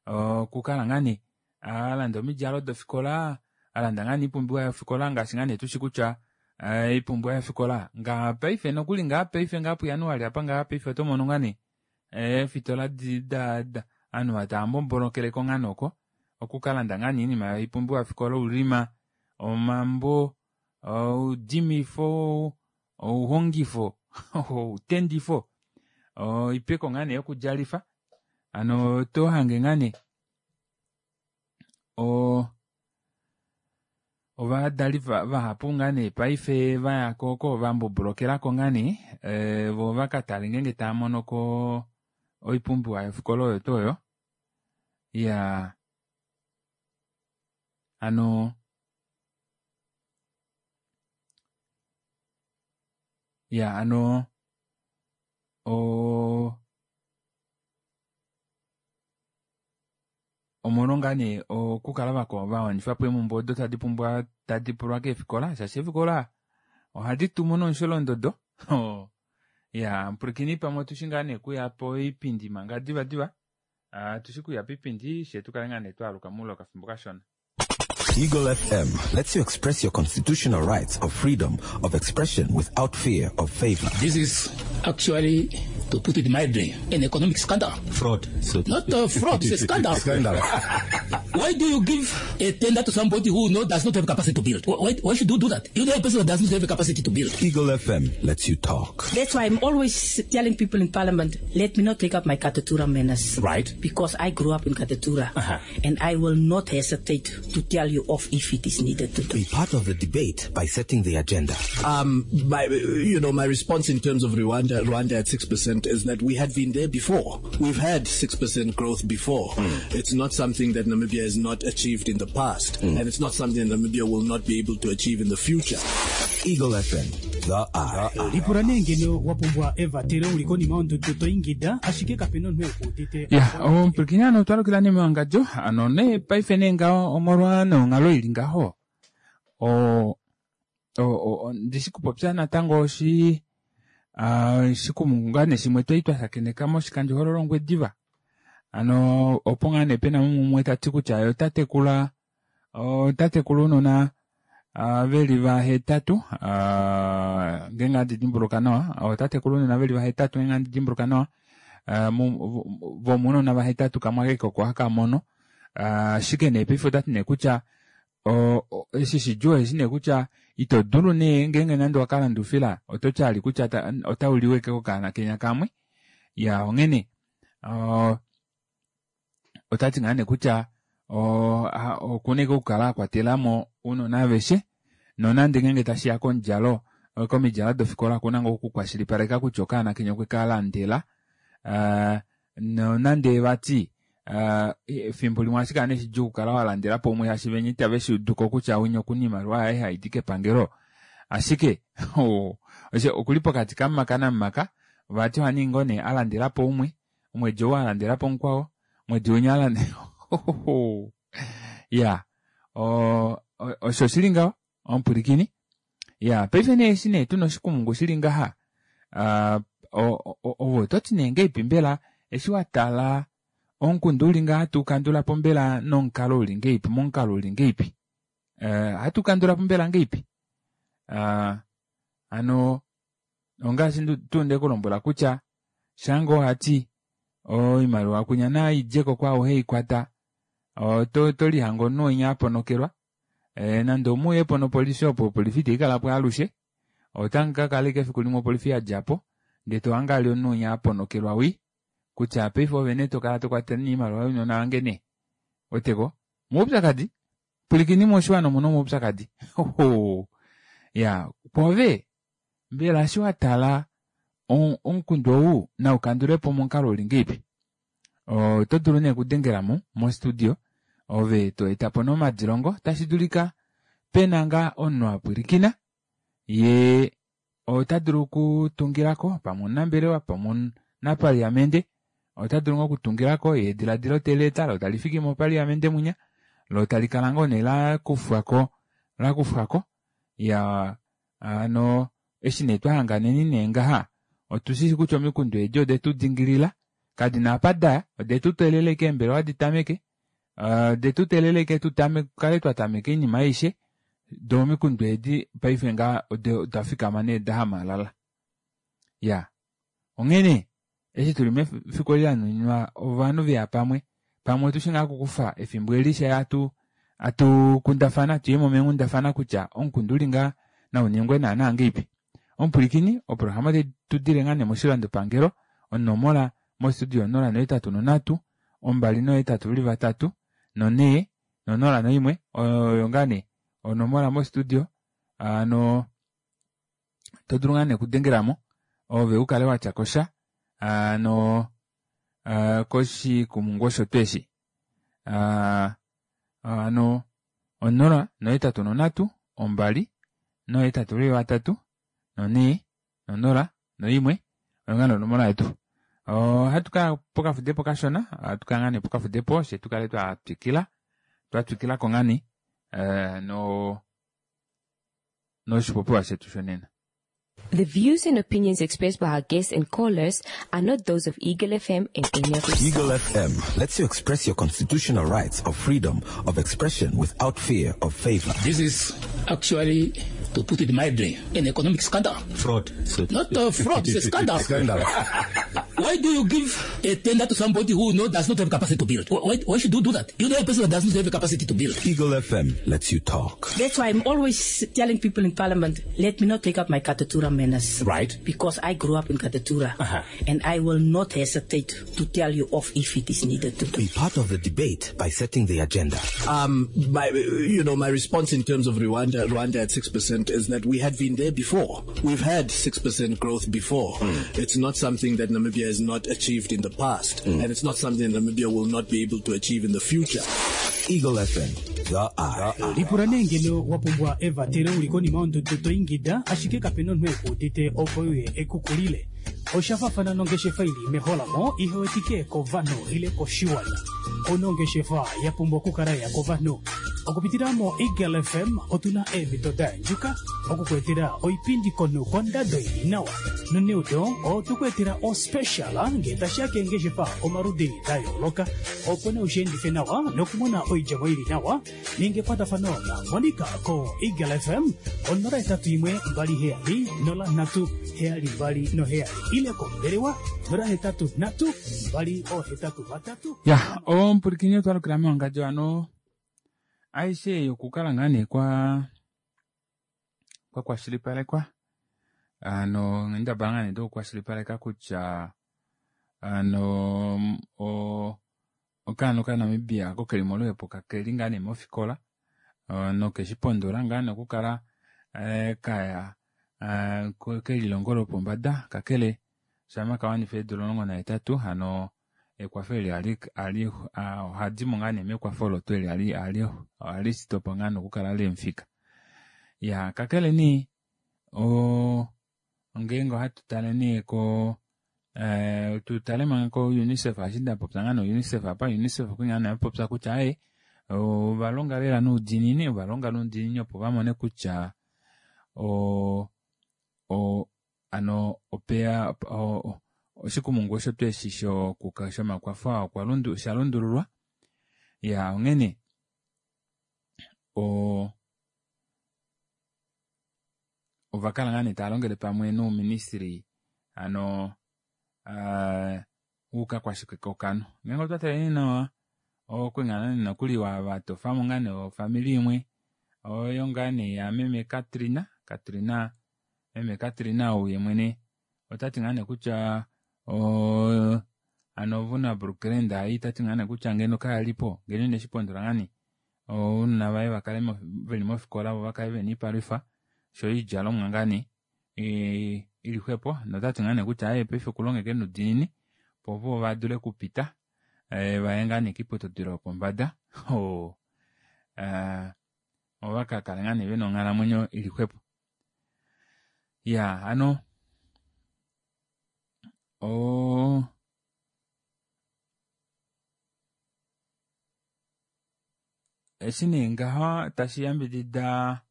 okukala ngaa nee alanda omidjalo dofikola alanda ngaa nee oipumbiwa yofikola ngaashi ngaa nee tushi kutya oipumbiwa yofikola ngaa paife nokuli ngaa paife ngaa pujanuali apa ngaa paife otomono ngaa nee eefitola ovanhu tava mbombolokeleko ngaa nee oko okukalanda ngaa nee oinima yoipumbiwa yofikola oulima omambo oudimifo ouhongifo outendifo oipeko ngaa nee yokudjalifa hano otohange ngaa nee. Ovadali vahapu ngaa nee paife vaya ko oko vambobolokelako ngaa nee voo vakatale ngeenge taamonoko oipumbiwa yofikola oyo tuu oyo. Iyaa hano iya hano oo omolwo ngaa nee okukala vawanifapo eemumbwe odo tadi pumbwa tadi pulwa keefikola shaashi eefikola ohadi tumu nomusholondodo iyaa mupwilikini pamwe otushi ngaa nee okuya poipindi manga divadiva atushi kuya poipindi fyee tukale ngaa nee twaaluka moule wokafimbo kashona. Eagle FM lets you express your constitutional rights of freedom of expression without fear of favor. This is actually, to put it mildly, an economic scandal. Fraud. So Not a fraud, it's a scandal. Scandal. Why do you give a tender to somebody who does not have capacity to build? Why should you do that? You know a person that does not have a capacity to build. Eagle FM lets you talk. That's why I'm always telling people in Parliament, let me not take up my Katutura manners. Right. Because I grew up in Katutura. Uh-huh. And I will not hesitate to tell you off if it is needed to do. Be part of the debate by setting the agenda. My response in terms of Rwanda at 6% is that we had been there before. We've had 6% growth before. It's not something that Namibia has not achieved in the past, and it's not something that Namibia will not be able to achieve in the future. Eagle FM, the eye. Lipula nee ngeno wa pumbwa evatelo uli konima yondudu to ingida ashike kapena omunhu ekuudite. Ya, omupwilikini ano otwa lukila nee mewangadjo ano nee paife nee ngaho omolwa nonghalo ili ngaho ndishi kupopya natango oshi shikumungu ngaa nee shimwe twali twa shakeneka moshikandjohololo Ongwediva. Ano opo ngaa nee pena mumwe ta ti kutya ye ota tekula ounona veli vahetatu, ngeenge handi dimbuluka nawa, ota tekula ounona veli vahetatu ngeenge handi dimbuluka nawa, vomounona vahetatu kamwe ashike oko haka mono. Ashike nee paife otati nee kutya eshi shidjuu eshi nee kutya ito dulu nee ngeenge nande wakalanda oufila oto tyali kutya otauliwa ashike kokaana kenya kamwe. Ya onghene otati ngaa nee kutya okuna ashike okukala akwatelamo ounona aveshe nonande ngeenge tashiya komudjalo komidjalo dofikola okuna ngoo okukwashilipaleka kutya okaana kenya okwe kalandela. Nonande vati efimbo limwe ohashi kala nee shidjuu okukala walandelapo umwe shaashi venya itave shi uduko kutya winya okuna oimaliwa yaye haidi kepangelo. Ashike okuli pokati kamumaka namumaka vati ohaningi ngoo nee alandelapo umwe, omwedi ou alandelapo mukwao, omwedi winya alandela ya osho shili ngaho omupwilikini. Ya paife nee eshi nee tuna oshikumungu shili ngaha ove ototi nee ngeipi mbela eshi watala omukundu uli ngaha tukandulapo mbela nomukalo uli ngeipi momukalo uli ngeipi hatukandulapo mbela ngeipi hano ongaashi tuu ndekulombwela kutya shange ohati oimaliwa kunya naidjeko kwaao heikwata tolihanga omunhu winya aponokelwa nande omuuyepo nopolifi opo opolifi itaikalapo alushe otamu kakala ashike efiku limwe opolifi yadjapo ndee tohange ali omunhu winya aponokelwa wii kutya paife ove nee tokala tokwatele oimaliwa younona vange nee weteko omaupyakadi pwilikini moshiwana omuna omaupyakadi ya kwoove mbela eshi watala omukundu ou naukandulepo momukalo uli ngeipi oto dulu nee okudengelamo mostudio ove to etapo nomadilongo tashi dulika pena ngaa omunhu apwilikina ye ota dulu okutungilako pamwe omunambelewa pamwe omunapaliamente ota dulu ngoo okutungilako ye ediladilo teli eta lo tali fiki mopaliamente munya lo tali kala ngoo nee lakufwako ya ano eshi nee twahanganeni nee ngaha otushishi kutya omikundu edi odetu dingilila kadina apa daya odetu teelela ashike eembelewa ditameke odetu teelela ashike tukale twatameka oinima aishe doo omikundu edi paife ngaha oda fikama nee dahamalala ya onghene eshi tuli mefiku eli lanuninwa ovanhu veya pamwe pamwe otushi ngaa okukufa efimbo eli sha atukundafana tuyemo meenghundafana kutya omukundu uli ngaa nauningwe naana ngeipi omupwilikini oprograma otai tudile ngaa nee moshilandopangelo onomola mostudio 083 283 4 0 1 oyo ngaa nee. onomola mostudio ano to dulu ngaa nee okudengelamo ove ukale watya kosha ano koshikumungu osho tuu eshi ano 0 8 3 2 8 3 4 0 1 oyo ngaa nee onomola yetu. Ohatu kaya pokafudepo kashona, ohatu kaya ngaa nee pokafudepo fye tukale twa twikila, twa twikilako ngaa nee no noshipopiwa shetu shonena. The views and opinions expressed by our guests and callers are not those of Eagle FM and any of its Eagle FM lets you express your constitutional rights of freedom of expression without fear of favor. This is actually, to put it mildly, an economic scandal. Fraud. Not a fraud, it's a scandal. Scandal. Why do you give a tender to somebody who does not have capacity to build? Why should you do that? You know a person that does not have a capacity to build. Eagle FM lets you talk. That's why I'm always telling people in Parliament, let me not take up my Katutura manners. Right. Because I grew up in Katutura. Uh-huh. And I will not hesitate to tell you off if it is needed to. Be part of the debate by setting the agenda. My response in terms of Rwanda at 6% is that we had been there before. We've had 6% growth before. It's not something that Namibia has not achieved in the past, and it's not something that Namibia will not be able to achieve in the future. Eagle FM, the eye. Lipula nee ngeno wa pumbwa evatelo uli konima yondudu to ingida ashike kapena omunhu ekuudite opo uye ekukulile. Osha fafana nongeshefa ili meholamo ihewetike kovanhu ile koshiwana. Onongeshefa ya pumbwa okukala ya kovanhu. Okupitila mo Eagle FM otuna eemhito da yandjuka okukuetela oipindi komunhu kondado ili nawa. Noneudo otukuetela ospecial ngee tashiya keengeshefa omaludi da yooloka opo nee ushiendife nawa nokumona oidjemo ili nawa. Ninga ekwatafano na Monica ko Eagle FM 081 27 03 72 7 ile kombelewa 083 283. Ya, omupulikini otwalukila mewangadjo ano aishe yokukala ngaa nee kwa kwashilipalekwa ano nghendabala ngaa nee dokukwashilipaleka kutya ano okaana okaNamibia ako keli moluhepo kakeli ngaa nee mofikola nokeshipondola ngaa nee okukala kaya kelilongo lopombada kakele shama kawanifa eedula 18 hano ekwafo eli ohadimo ngaa nee mekwafo olo tuu eli ohali sitopo ngaa nokukala lemufika. Ya, kakele nee ngeenge ohatu tale nee ko tutale manga ko UNICEF ashi ndapopya ngaa no UNICEF apa UNICEF okuli ngaa nee apopya kutya aye ovalonga lela noudiinini, ovalonga noudiinini opo vamone kutya ano opeya oshikumungu osho tuu eshi shomakwafo aa osha lundululwa. Ya, onghene ovakala ngaa nee tava longele pamwe nouministry ano oukakwashike-ko-okanhu. Ngeenge otwa tale nee nawa okwali ngaa nee nokuli vatofamo ngaa nee ofamili imwe oyo ngaa nee ya meme Katrina, Katrina, meme Katrina ou ye mwene otati ngaa nee kutya ano Vuna Brooklyn ei tati ngaa nee kutya ngeno kayalipo ngeno ineshipondola ngaa nee ounona vaye vakale veli mofikola vo vakale vena oipalwifa sho oidjalomwa ngaa nee ili xwepo notati ngaa nee kutya aye paife okulongeke noudiinini opo vo vadule okupita vaye ngaa nee kiiputudilo yopombada ovakakale ngaa nee vena onghalamwenyo ili xwepo. Ya, ano eshi nee ngaho tashi yambidida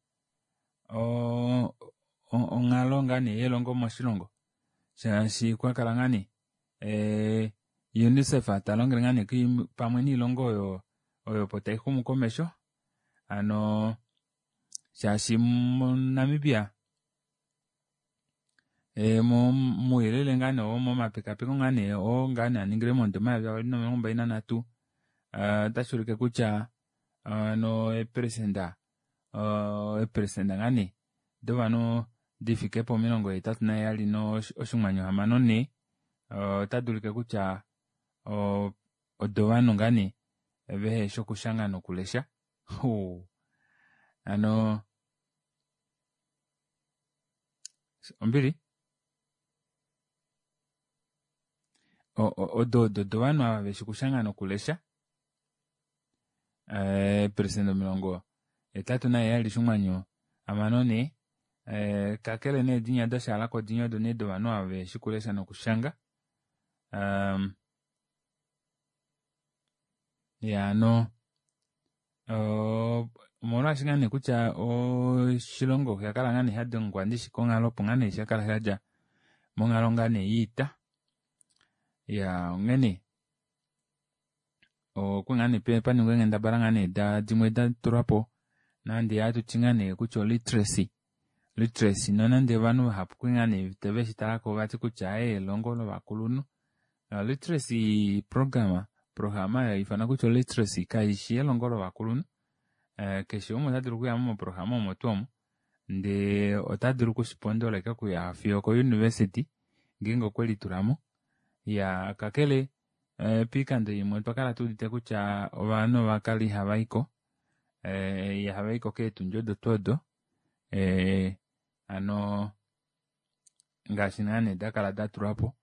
onghalo ngaa nee yelongo moshilongo shaashi kwakala ngaa nee UNICEF talongele ngaa nee pamwe noilongo oyo opo taixumu komesho ano shaashi moNamibia mouyelele ngaa nee momapekapeko ngaa nee oo ngaa nee aningilwe momudo 2023 otashi ulike kutya ano eeperesenda ngaa nee dovanhu difike po 87.64 otadi ulike kutya odovanhu ngaa nee veheshi okushanga nokulesha. Hano ombili odo odo dovanhu ava veshi okushanga nokulesha eeperesenda 87.64 kakele nee dinya dashalako dinya odo nee dovanhu ava veshi okulesha nokushanga ya hano omolwaashi ngaa nee kutya oshilongo osha kala ngaa nee shadengwa ndishi konghalo opo ngaa nee shakala shadja monghalo ngaa nee yoita ya onghene okwa ngaa nee paningwa eenghendabala ngaa nee dimwe datulwapo nande hatuti ngaa nee kutya oliteracy literacy nonande ovanhu vahapu kwe ngaa nee veshitalako vati kutya elongo lovakulunhu literacy program programa haifanwa kutya oliteracy kaishi elongo lovakulunhu keshe umwe ota dulu okuya moprograma omo tuu omo ndee ota dulu okushipondola ashike okuya fiyo ko-university ngeenge okwe litulamo ya kakele poikando imwe otwa kala tuudite kutya ovanhu ovakala ihavaiko ihavaiko keetundi odo tuu odo hano ngaashi ngaa nee dakala datulwapo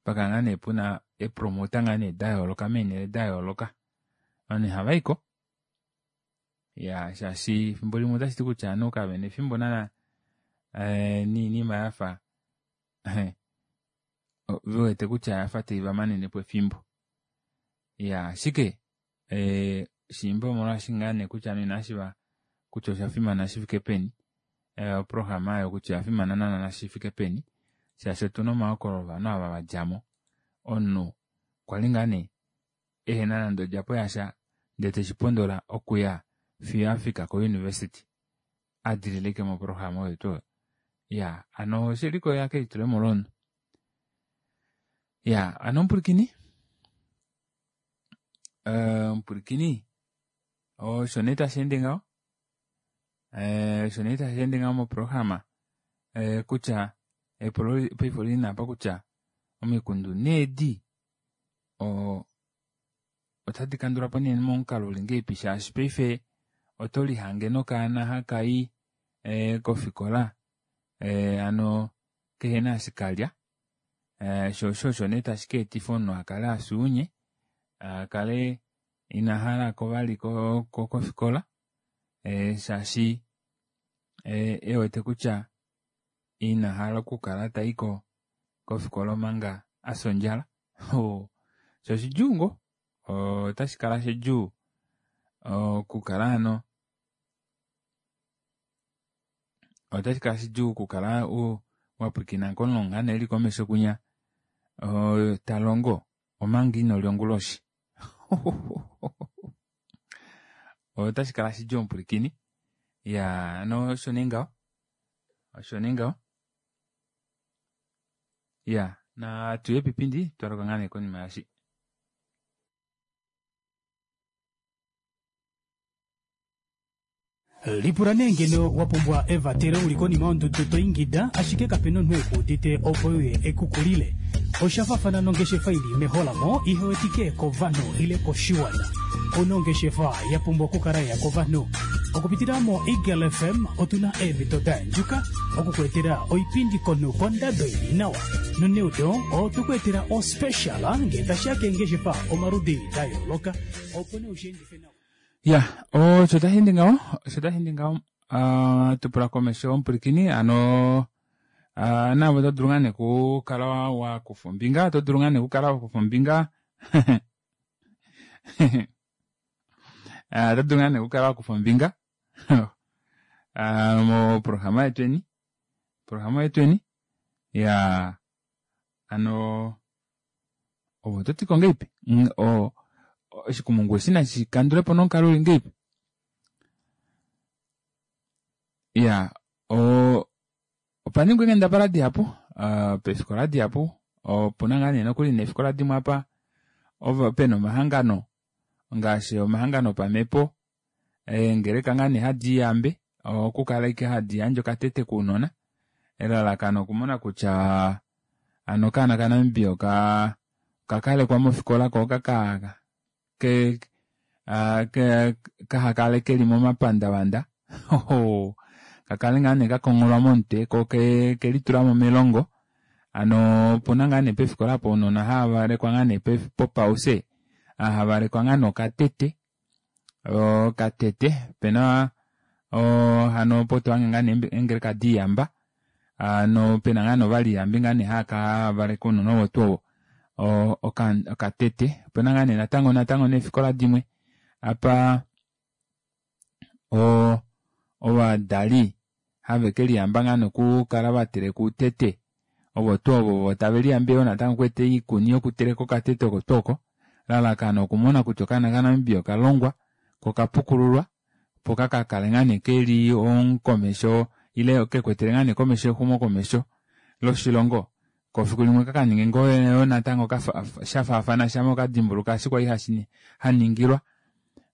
pakala ngaa nee puna eepromota ngaa nee dayooloka meenhele dayooloka ovanhu ihavaiko ya shaashi efimbo limwe otashiti kutya ovanhu kavena efimbo naana noinima yafa vewete kutya oyafa taiva manenepo efimbo ya ashike shiimba omolwaashi ngaa nee kutya ovanhu inavashiiva kutya oshafimana shifike peni oprograma oyo kutya oyafimana naana shifike peni shaashi otuna omahokololo ovanhu ava vadjamo omunhu kwali ngaa nee ehena nande odjapo yasha ndee teshipondola okuya fiyo afika ko-university adilile ashike moprograma oyo tuu oyo ya hano oshelikolelela kelitulemo lomunhu ya hano omupwilikini omupwilikini osho nee tasheende ngaho osho nee tasheende ngaho moprograma kutya epulo paife olili apa kutya omikundu needi otadi kandulwapo nee momukalo uli ngahelipi shaashi paife oto lihange nokaana hakayi kofikola hano kehena eshi kalya sho osho osho nee tashi ka etifa omunhu akale afya ounye akale ina halako vali kofikola shaashi ewete kutya ina hala okukala taiko kofikola omanga afya ondjala sho oshidjuu ngoo otashi kala shidjuu okukala hano otashi kala shidjuu okukala wapwilikina komulongi nee eli komesho kwinya talongo omanga inolya onguloshi otashi kala shidjuu omupwilikini ya hano osho nee ngaho osho nee ngaho ya natuye pipindi twaluka ngaa nee konima yashi. Lipula nee ngeno wa pumbwa evatelo uli konima yondudu to ingida ashike kapena omunhu ekuudite opo uye ekukulile. Osha faafana nongeshefa ili meholamo ihewetike kovanhu ile koshiwana. Ouna ongeshefa ya pumbwa okukala ya kovanhu. Okupitila mo Eagle FM otuna eemhito da yandjuka okukuetela oipindi konhu kondado ili nawa. Noneudo otukuetela ospecial ngee tashiya keengeshefa omaludi da yooloka opo nee ushiendife nawa. Ya osho tashi ngaho osho tashi ngaho tupula komesho omupwilikini hano naave oto dulu ngaa nee okukala wakufa ombinga oto dulu ngaa nee okukala wakufa ombinga oto dulu ngaa nee okukala wakufa ombinga moprograma yetweni programa yetweni ya hano ovo ototiko ngahelipi oshikumungu eshi nashi kandulepo nomukalo uli ngahelipi ya opa ningwa eenghendabala dihapu peefikola dihapu opuna ngaa nee nokuli neefikola dimwe apa pena omahangano ngaashi omahangano opamhepo eengeleka ngaa nee hadi iyambe okukala ashike hadi yandje okatete kounona elalakano okumona kutya hano okaana kaNamibia okakalekwa mofikola ko kahakale keli momapandavanda. Oho, kakale ngaa nee kakongholwa momutwe ko kelitulamo melongo. Hano opuna ngaa nee pefikola apo ounona hava valekwa ngaa nee popause, havalekwa ngaa nee okatete, okatete opena hano opo tohange ngaa nee eengeleka diiyamba hano pena ngaa nee ovaliyambi ngaa nee hava valeke ounona ovo tuu ovo okatete. Opena ngaa nee natango natango neefikola dimwe apa ovadali have keliyamba ngaa nee okukala vateleka outete ovo tuu ovo taveliyambe yoo natango okweeta oikuni yokuteleka okatete oko tuu oko lalakano okumona kutya okaana kaNamibia okalongwa ko okapukululwa opo kakakale ngaa nee keli omukomesho ile kekwetele ngaa nee komesho exumokomesho loshilongo ko fiku limwe kakaninge ngoo yoo natango shafaafana shama okadimbuluka eshi kwali haningilwa.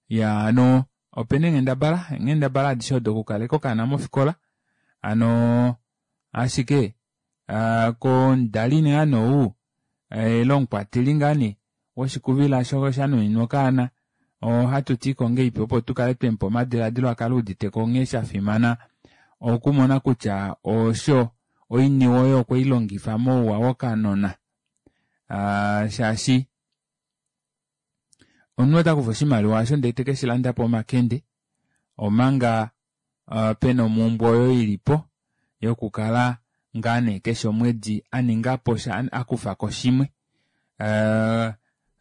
Iyaa hano opena eenghendabala eenghendabala adishe odo okukaleka okaana mofikola hano ashike komudali ngaa nee ou ile omukwateli ngaa nee woshikuvila shanuninwa okaana ohatutiko ngahelipi opo tukale twemupa omadilaadilo akale euditeko nghee shafimana okumona kutya osho oiniwe oyo okweilongifa mouwa wokanona shaashi omunhu otakufa oshimaliwa osho ndee tekeshilandapo omakende omanga pena omumbwe oyo ilipo yokukala ngaa nee keshe omwedi aningapo sha akufako shimwe.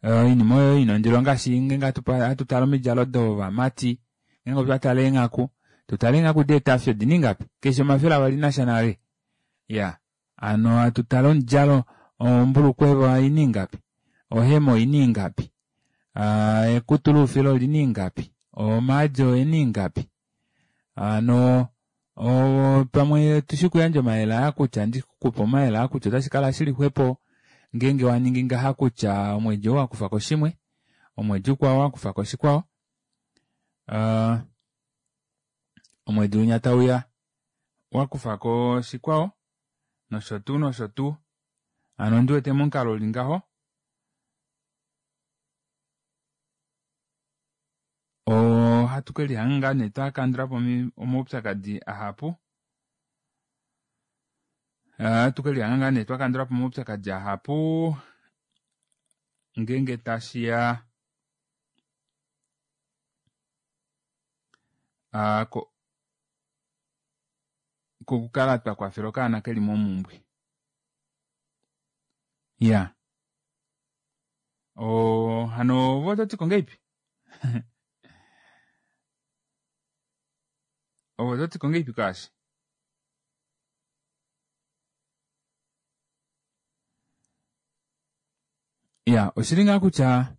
Oinima oyo ina ondilo ngaashi ngeenge hatutale omidjalo dovamati ngeenge otwa tale eenghaku tutale eenghaku deetafi odina ingapi keshe 200 nasha nale iya hano hatutale omudjalo ombulukweva oina ingapi ohema oina ingapi ekutu loufila olina ingapi omaadi oena ingapi hano pamwe tushi kuyandja omayele aa kutya ndikupe omayele aa kutya otashi kala shili xwepo ngeenge waningi ngaha kutya omwedi ou wakufako shimwe omwedi ukwao wakufako shikwao omwedi unya tauya wakufako shikwao nosho tuu nosho tuu hano ondiwete momukalo uli ngaho ohatu kelihanga ngaa nee twakandulapo omaupyakadi ahapu ohatu kelihanga ngaa nee twakandulapo omaupyakadi ahapu ngeenge tashiya kokukala twakwafela okaana keli momumbwe iya hano ove ototiko ngahelipi ove ototiko ngahelipi kwaashi iya oshili ngaa kutya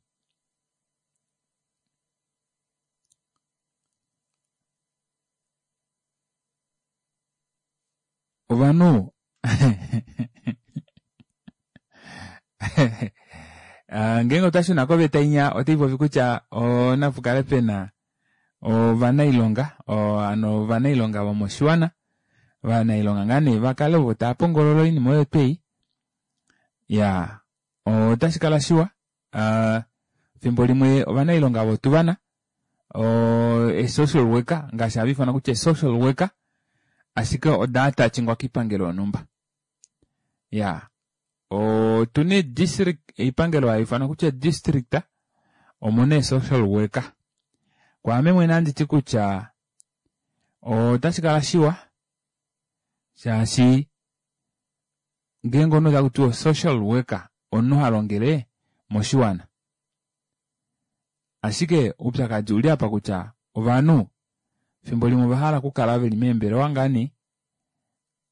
ovanhu ngeenge otwa shuna koveta inya otaipopi kutya onapukale pena ovanailonga hano ovanailonga vomoshiwana ovanailonga ngaa nee vakale ovo tava pongolola oinima oyo twei iya otashi kala shiwa fimbo limwe ovanailonga votuvana e-social worker ngaashi hava ifanwa kutya e-social worker ashike oda atachingwa koipangelo yonhumba iya otuna district oipangelo haifanwa kutya district omuna e-social worker kwaame mwene anditi kutya otashi kala shiwa shaashi ngeenge omunhu takutiwa social worker omunhu halongele moshiwana ashike oupyakadi uli apa kutya ovanhu fimbo limwe ovahala okukala veli meembelewa ngaa nee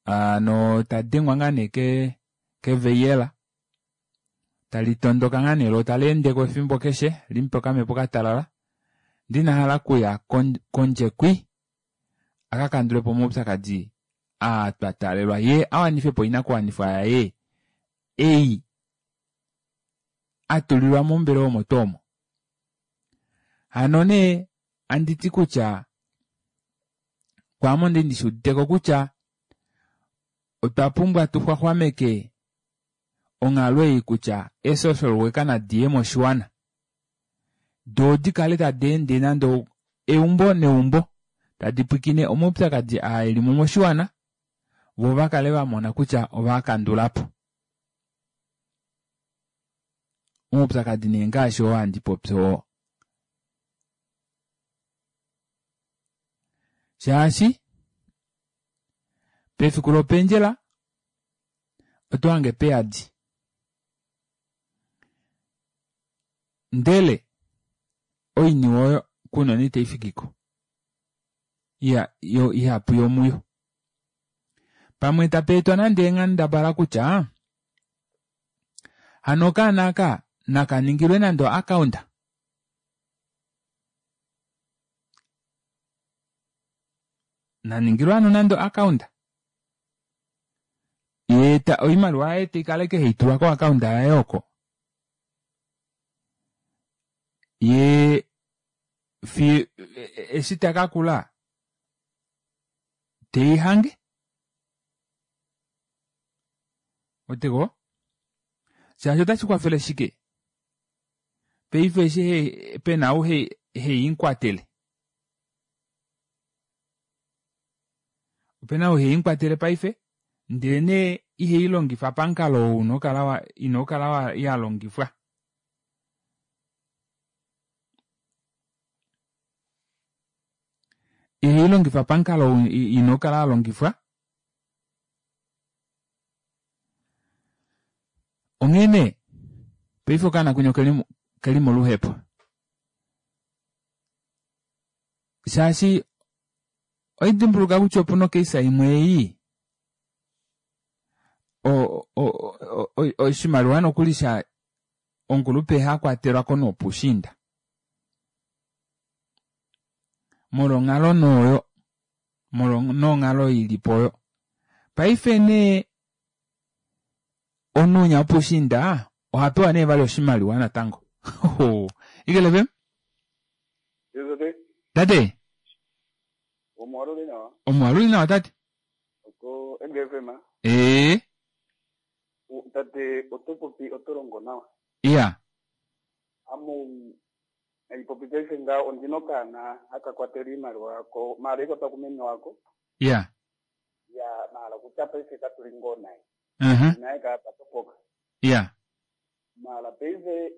hano tadengwa ngaa nee keveyela talitondoka ngaa nee loo taleendeko efimbo keshe limupe okamepo katalala ndee inahala okuya kondje kwi akakandulepo omaupyakadi aa twataalelwa yee awanifepo oinakuwanifwa yaye ei atulilwa mombelewa omo tuu omo. Hano nee anditi kutya kwaame onde ndishuuditeko kutya otwa pumbwa tuxwaxwameke onghalo ei kutya e-social worker nadiye moshiwana doo dikale tadi ende nande eumbo neumbo. Tadi pwilikine omaupyakadi aa eli mo moshiwana vo va kale va mona kutya ova kandula po omaupyakadi nee ngaashi oo handi popi oo. Shaashi pefiku lopendjela oto hange peyadi ndele oiniwe oyo kunena itai fikiko yo ihapu yomuyo. Pamwe tapa etwa nande eenghendabala kutya hano okaana aka naka ningilwe nande oaccount naningilwe hano nande oaccount yee oimaliwa yaye teikala ike haitulwa koaccount yaye oko yee fi eshi takakula teihange oteko shaashi otashi kwafele shike paife eshi pena ou heiinkwatele opena ou heiinkwatele paife ndele nee iheilongifa pamukalo ou unokala inokala yalongifwa. Iheilongifa pamukalo ou inokala yalongifwa onghee nee paife okaana kwinya okeli moluhepo shaashi oidimbuluka kutya opuna okeisa imwe ei oshimaliwa nokuli sha omukulupe hakwatelwako nopushiinda molwonghalo nooyo molwa ilipo oyo paife nee omunhu unya wopushiinda ohapewa nee vali oshimaliwa natango Eagle FM tate omwaluli nawa tate ee tate oto popi oto longo nawa iya amu haipopi paife nga ondina okaana haka kwatela iimaliwa yako maala ikwatwa kumeme wako iya ya maala kutya paife katuli ngoo naye naye kapatopoka iya maala paife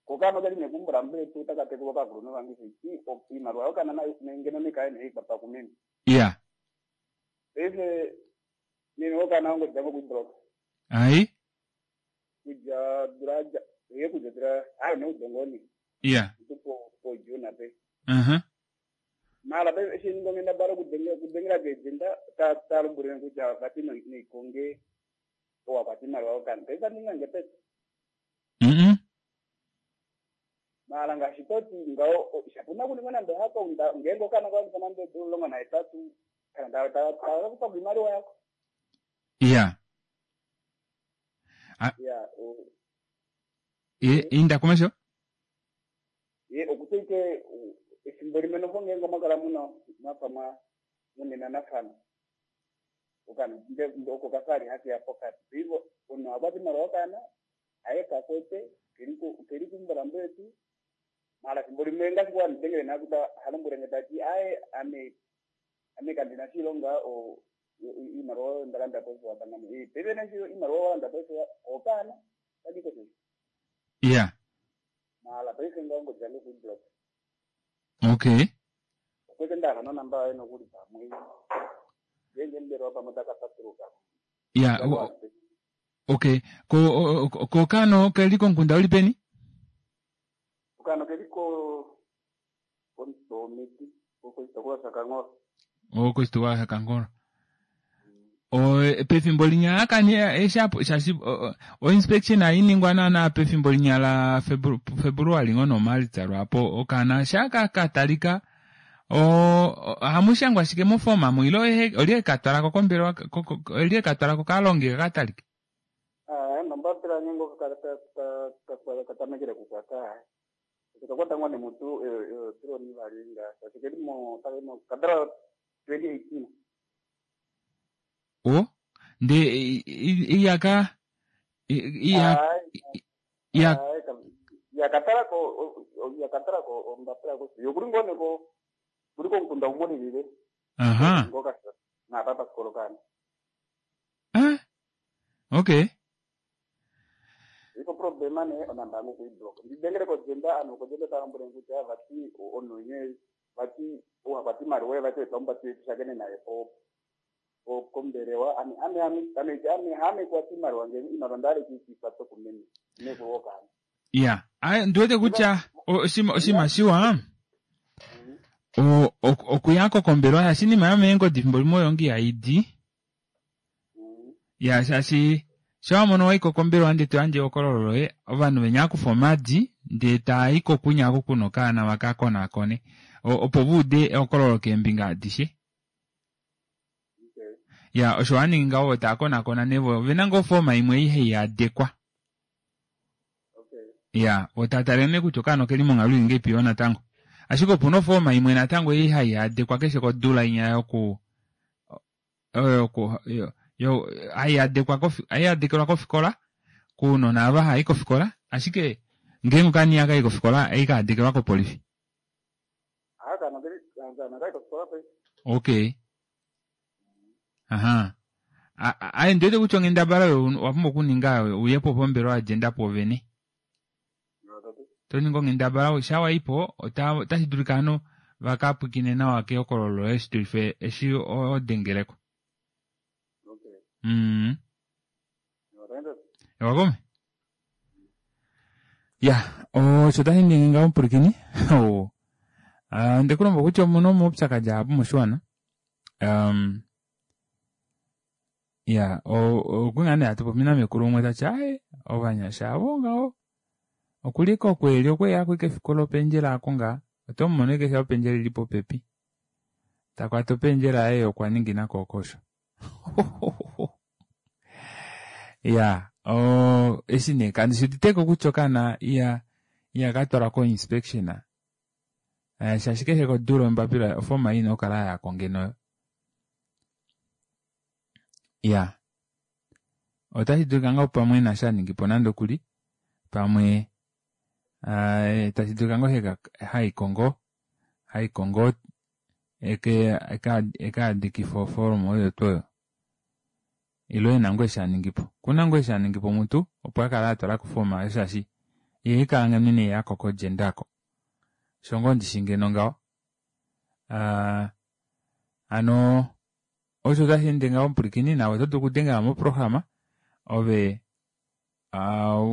kokana kali nekumbula mbetu takatekulwa kakulunhu vange ti iimaliwa yokana ngeno nikaye neikwatwa kumeme iya paife meme wokana wangu django kuiblock ai kudja dula ye kudja dula ayo neudongoni iya tupo po juna pe mara pe eshi ngongenda baro kudengela kejenda ta talumbulile kutya vati neikonge owakwata iimaliwa yokana paife aningange pete mara ngaashi toti ngawo shapuna kuningwa nande hako ngeenge okana kalongitha nande eedula 18 kana takakupa iimaliwa yako iya iya inda komesho ye okuteike efimbo limwe noho ngeenge omwakala muna mwafa mwa munenanafana okana oko kafali hakeya pokati paife omunhu akwata iimaliwa yokana aye kakwete keli kumbulambo yetu mara fimbo limwe ngaashi kuwanidengele nakuta halombwelenge tati aye ame ame kandina shilonga iimaliwa oyo ndalanda paife wapangame paife neshi iimaliwa walanda paife okana tadiko shesho iya mara paife ngaongo djange kuiblock okay okwete ndahala nonamba yaye nokuli pamwe ngenge mbelewa pamwe takapatuluka iya okay ko kokano keli komukunda uli peni okano keli ko komiti koshitopolwa shaKankolo koshitopolwa shaKankolo pefimbo linya akani eshapo shashi o inspection ainingwa naana pefimbo linya la February ngono Maalitsa lwapo okana shaka katalika hamushangwa shike mofoma mu ilo olye katwalako kombelewa olye katwalako kalonge katalike nombapila nyengo katamekele kukwata kakwata ngwane mutu tuloni valinga shaashi kelimo kadala 2018 o nde iyaka iya yakatalako yakatalako ombapila ko yokuli ngone ko Tuli komukunda umwe ulilile. Aha. Ngoka naapa pasikolokana. Ah. Okay. Iko problema ne onamba yangu kuiblock. Ndidengele kojenda ano kojenda talombwele kutya vati ononye vati uhakwati imaliwa vati wetomba tushakene naye po po kombelewa ame ame ame ame ame ame kwati imaliwa ngeni imaliwa ndale kiikwata kumene nekuwokana. Ya. Ai ndiwete kutya oshinima shiwa okuyako kombelewa shaashi inima yomeengodi efimbo limwe oyo ngi haidi. Ya shaashi sho wamono waiko kombelewa ndee toyandje ehokololo loye ovanhu venya akufa omadi ndee taayiko kunya oku kuna okaana vakakonaakone opo vaude ehokololo keembinga adishe. Ya osho waningi ngaho vo taakonaakona nee vo ovena ngoo ofoma imwe ei haiyadekwa. Ya vo taatale nee kutya okaana okeli monghalo ili ngahelipi yoo natango. Ashike opuna ofoma imwe natango ei haiyadekwa keshe kodula inya yoku oyo yoku yo haiyadekwa haiyadekelwa kofikola kounona ava hai kofikola ashike ngeenge okaana ihaka i kofikola ohaika kopolifi. Okay. Aha. Aye ndiwete kutya onghendabala oyo owa pumbwa okuninga uye po pombelewa yagender pwoovene. Toningi onghendabala sha waipo otashi dulika hano vakapwikine nawa kehokololo loye shidulife eshi odengeleko. Ewakome? Ya, osho tashi ningi ngaho mupwilikini. Ondekulomba kutya omuna omaupyakadi ahapu moshiwana. Ya, okwali nee hatu popi namekulu umwe tati aaye ovanyasha avo ngaho okuli kokweli okweya ashike efiku lopendjela aako ngaa oto mumono ashike sha opendjela ili popepi takwata opendjela yaye okwa ningina kookosho. Ya, eshi nee kandi shuditeko kutya okaana iya katwalwa ko inspection. Shaashi keshe kodula ombapila ofoma ina okukala yayako ngeno. Ya. Otashi dulika ngoo pamwe ena shaningipo nande okuli pamwe tashi dulika ngoo haiko ngoo haiko ngoo ekaadikifa ofoloma oyo tuu oyo. Ile ena ngoo eshi aningipo. Okuna ngoo eshi aningipo mutu opo akala atwalako ofoma oyo shaashi ihaikala ngeno ineyako kogender ako. Osho ngoo ndishi ngeno ngaho. Hano osho tashi ende ngaho mupwilikini nawe oto dulu okudengela moprograma ove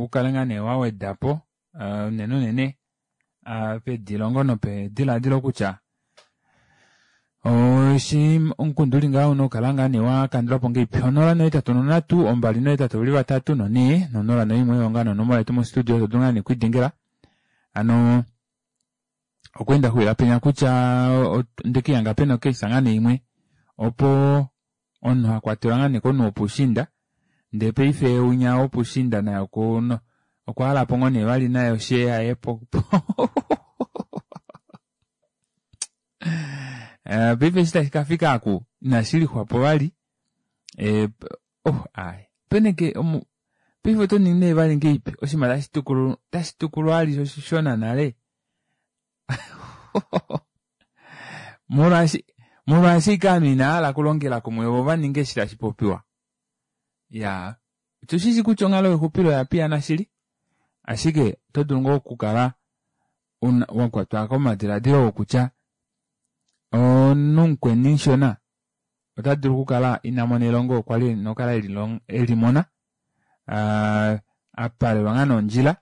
ukale ngaa nee wawedapo unene unene pedilongo nopedilaadilo kutya oshi omukundu uli ngaho una okukala ngaa nee wakandulwapo ngahelipi 083 283 4 no01 oyo ngaa nonomola yetu mostudio to dulu ngaa nee okwiidengela hano okweenda xuwila penya kutya ndekihanga pena okeisa ngaa nee imwe opo omunhu akwatelwa ngaa nee komunhu wopushinda ndee paife unya wopushinda naye okwa halapo ngoo nee vali naye oshee yaye po paife eshi tashi kafika aku inashilixwapo vali peneke paife oto ningi nee vali ngeipi oshinima tashi tukulwa ali oshishona nale molwaashi ike ovanhu inahala okulongela kumwe vo vaninge eshi tashi popiwa. Ya, otushishi kutya onghalo yexupilo oya piyana shili ashike oto dulu ngoo okukala wakwatwa komadiladilo okutya omunhu mukweni mushona ota dulu okukala ina mona elongo kwali ena okukala elimona apalelwa ngaa nondjila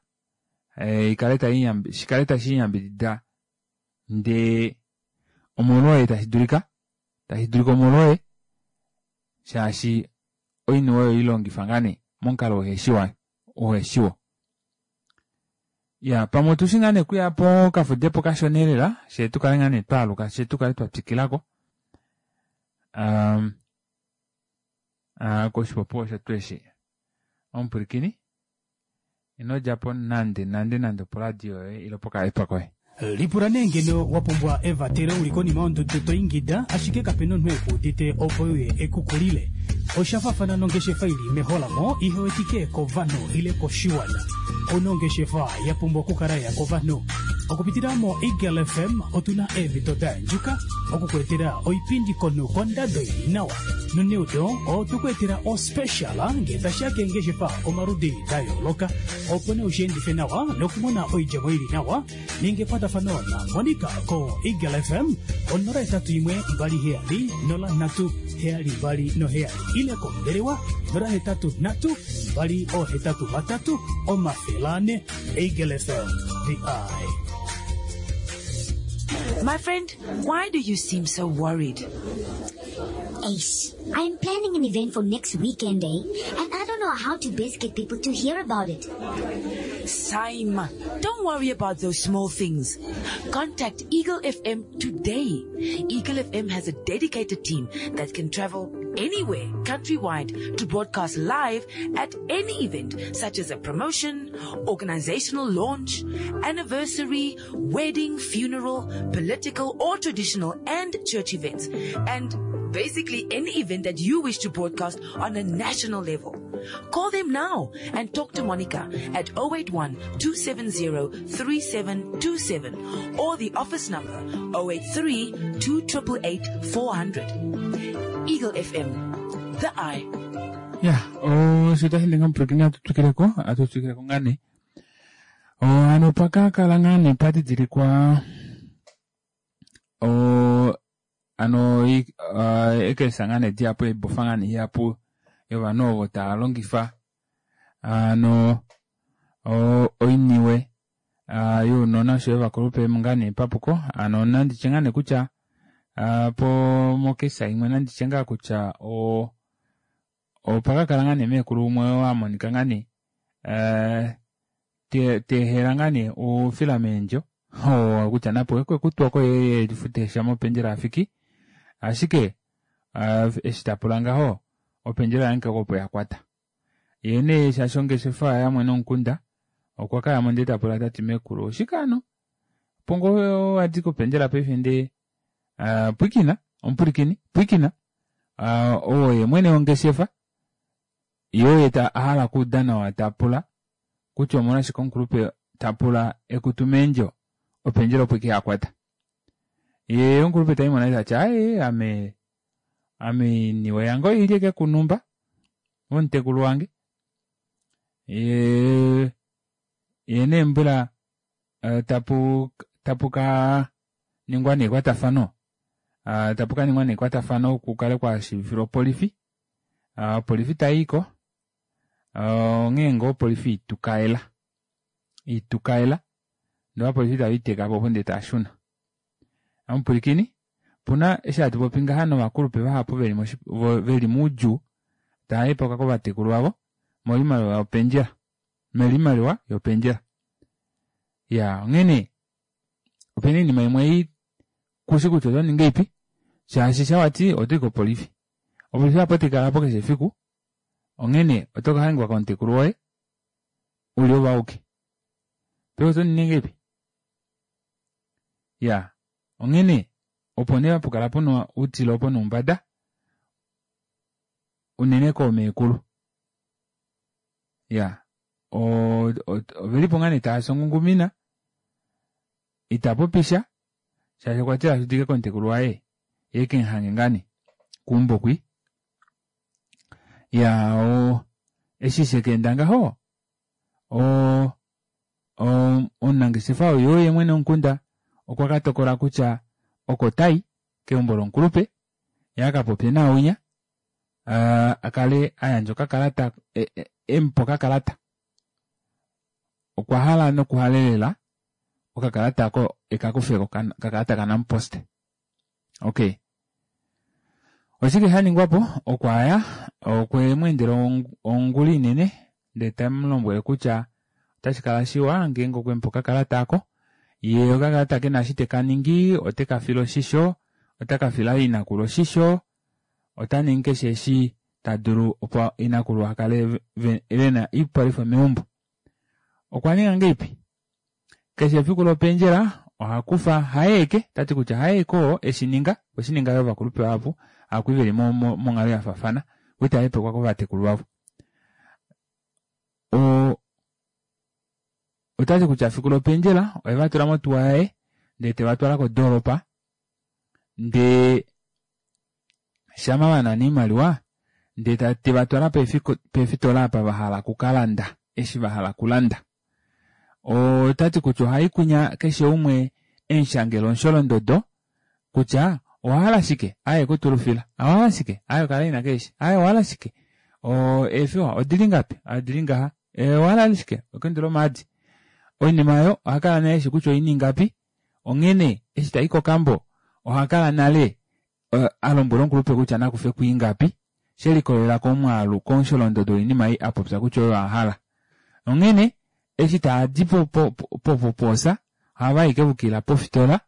shikale tashi yambidida ndee omolwoye tashi dulika omolwoye shaashi oiniwe oyo ilongifa ngaa nee momukalo uheshiwo. Ya, pamwe otushi ngaa nee okuya pokafudepo kashona elela shee tukale ngaa nee twaaluka shee tukale twatwikilako koshipopiwa osho tuu eshi. Omupwilikini ino djapo nande nande nande oporadio yoye ile pokaepa koye. Lipula nee ngeno wa pumbwa evatelo uli konima yondudu to ingida ashike kapena omunhu ekuudite opo uye ekukulile. Osha faafana nongeshefa ili meholamo ihewetike kovanhu ile koshiwana. Ouna ongeshefa ya pumbwa okukala ya kovanhu. Okupitila moEagle FM otuna eemhito da yandjuka okukuetela oipindi konhu kondado ili nawa. Noneudo otwe ku etela ospecial ngee tashiya keengeshefa omaludi da yooloka opo nee ushiendife nawa nokumona oidjemo ili nawa. Ninga ekwatafano na Monica ko Eagle FM ko 081 27 03 72 ile kombelewa 083 283 400. Eagle FM, the eye. My friend, why do you seem so worried? Ace, I am planning an event for next weekend, eh? And I don't know how to best get people to hear about it. Saima, don't worry about those small things. Contact Eagle FM today. Eagle FM has a dedicated team that can travel anywhere countrywide to broadcast live at any event such as a promotion, organizational launch, anniversary, wedding, funeral, political or traditional and church events. And basically any event that you wish to broadcast on a national level. Call them now and talk to Monica at 081 270 3727 or the office number 083 2888 400. Eagle FM, the eye. Ya, osho tashi ninga omupulakeni atu twikileko atu twikileko ngaa nee. Hano pakakala ngaa nee padidilikwa hano ekesa ngaa nee dihapu oibofa ngaa nee ihapu yovanhu ovo tava longifa hano oiniwe younona oshoyo ovakulupe ngaa nee papuko. Hano nanditye ngaa nee kutya po mokesa imwe nanditye ngaa kutya opakakala ngaa nee meekulu umwe wamonika ngaa nee tehela ngaa nee oufila meendjo kutya napo ekwekutwa ko ye lifute sha mopendjela afiki ashike eshi tapula ngaho opendjela yange opo yakwata ye nee shaashi ongeshefa yamwene omukunda okwa kayamo ndee tapula tati meekulu oshike hano pongo wadi kopendjela paife ndee pwikina omupulikini pwikina oo ye mwene wongeshefa ye oye ahala okuuda nawa tapula kutya omolwashike omukulupe tapula ekutu meendjo opendjela opo ike yakwata ye omukulupe taimona tati aye ame ame niwe yange oili eke kunumba omutekulu wange ye ye nee mbula tapu tapu ka ningwa nekwatafano tapu ka ningwa nekwatafano kukale kwashiivifilwa opolifi opolifi tayiiko onghee ngoo opolifi itukaela itukaela ndee ovapolifi tave po opo ndee taashuna. Omupulikini puna eshi hatu popi ngaha novakulupe vahapu veli moudjuu tava hepoka kovatekulu vavo moimaliwa yopendjela melimaliwa yopendjela. Ya onghene opena oinima imwe ei kushi kutya oto ningi ipi shaashi shawati otoyi kopolifi opolifi apo taikala keshe efiku onghene oto kahangikwa komutekulu woye uli ove auke paife oto ningi ngahelipi ya onghene opo nee hapukala puna outile opo noumbada unene koomekulu ya ovelipo ngaa nee taasi ongungumina itapopisha shaashi okwa tila ashudike komutekulu waye ye kemuhange ngaa nee keumbo kwi ya eshi shekeenda ngaho omunangeshefa oyo ye mwene womukunda okwa katokola kutya oko tai keumbo lomukulupe ye akapopye naaunya akale ayandja okakalata emupa okakalata okwa hala nokuhalelela okakalata ako ekakufeko okakalata kaNampost. Okay, oshike shaningwapo okwaya okwe mu endela ongula inene ndee tamulombwele kutya otashi kala shiwa ngeenge okwemupa okakalata ako ye okakalata kena eshi tekaningi otekafile oshisho otakafila inakulu oshisho ota ningi keshe eshi tadulu opo inakulu akale vena oipalwifa meumbo. Okwa ninga ngahelipi keshe efiku lopendjela ohakufa hayeeke tati kutya hayeeke oo eshininga okweshininga yoo ovakulupe vahapu akwi veli monghalo yafaafana vo itava hepekwa kovatekulu vavo. Ota ti kutya fiku lopendjela oye va tula motuwa yaye ndee te va twala kodoolopa ndee shama va nana oimaliwa ndee te va twala peefitola apa va hala okukalanda eshi va hala okulanda. Ota ti kutya ohai kunya keshe umwe emushangela omusholondodo kutya owa hala shike aye kutulufila owa hala shike aye okala ina keeshi aye owa hala shike eefiwa odili ngapi odili ngaha owa hala shike okendula omaadi oinima oyo oha kala nale eshi kutya oini ngapi onghene eshi tai kokambo oha kala nale a lombwela omukulupe kutya nakufe kuingapi she likolelela komwaalu komusholondodo woinima ei a popya kutya oyo a hala. Onghene eshi taa di po popoosa ohava i kevukila pofitola,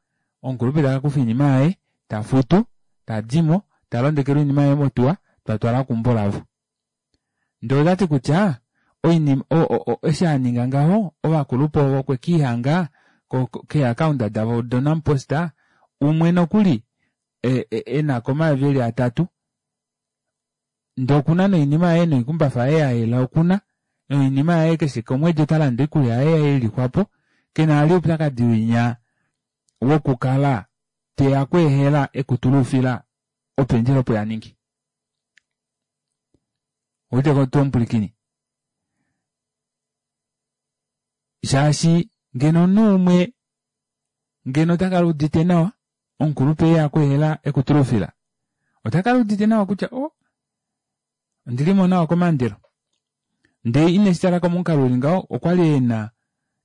omukulupe ta ka kufa oinima yaye, ta futu, ta di mo, ta londekelwa oinima yaye motuwa, ta twala keumbo lavo. Ndee ota ti kutya oinima eshi a ninga ngaho ovakulupe ovo okwe kiihanga keeakaunda davo doNampost umwe nokuli e na ko omayovi eli atatu ndee okuna noinima yaye noikumbafa yaye ya yela okuna noinima yaye keshe komwedi ota lande oikulya yaye yelixwapo kena vali oupyakadi winya wokukala teya kweehela ekutuluufila opendjela opo ya ningi. Ouwete tuu omupwilikini? Shaashi ngeno omunhu umwe ngeno ota kala udite nawa omukulupe e ya kweehela ekutulufila ota kala udite nawa kutya o oh, ondili mo nawa komandelo ndee ine shi tala komukalo uli ngaho okwa li e na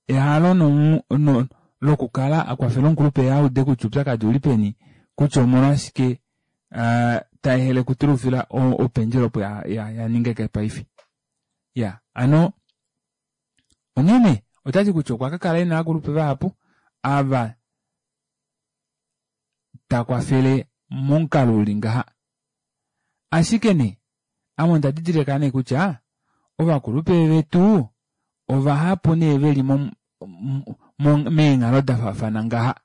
ehalo no, lokukala a kwafela omukulupe a ude kutya oupyakadi uli peni kutya omolwashike uh, ta ehele okutulufila opendjelo opo ya, ya, ya ningeke paife ya ano onghene otati kutya okwa ka kala e na aakulupe vahapu ava ta kwafele momukalo uli ngaha. Ashike nee, ame onda didilika nee kutya ovakulupe vetu ovahapu nee veli meenghalo da faafana ngaha.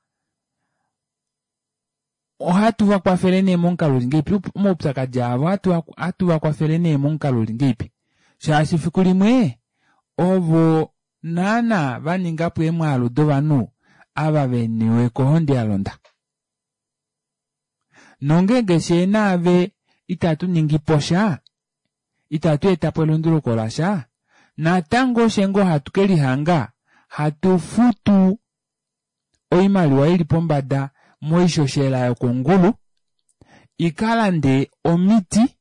Ohatu va kwafele nee momukalo uli ngeipi? Omaupyakadi avo ohatu va kwafele nee momukalo uli ngeipi? Shaashi fiku limwe ovo naana va ninga po eemwaalu dovanhu ava ve niwe kohonde ya londa. Nongeenge fyee naave itatu ningi po sha, itatu eta po elunduluko lasha, natango oshe ngoo hatu ke lihanga hatu futu oimaliwa ili pombada moishoshela yokongulu i ka lande omiti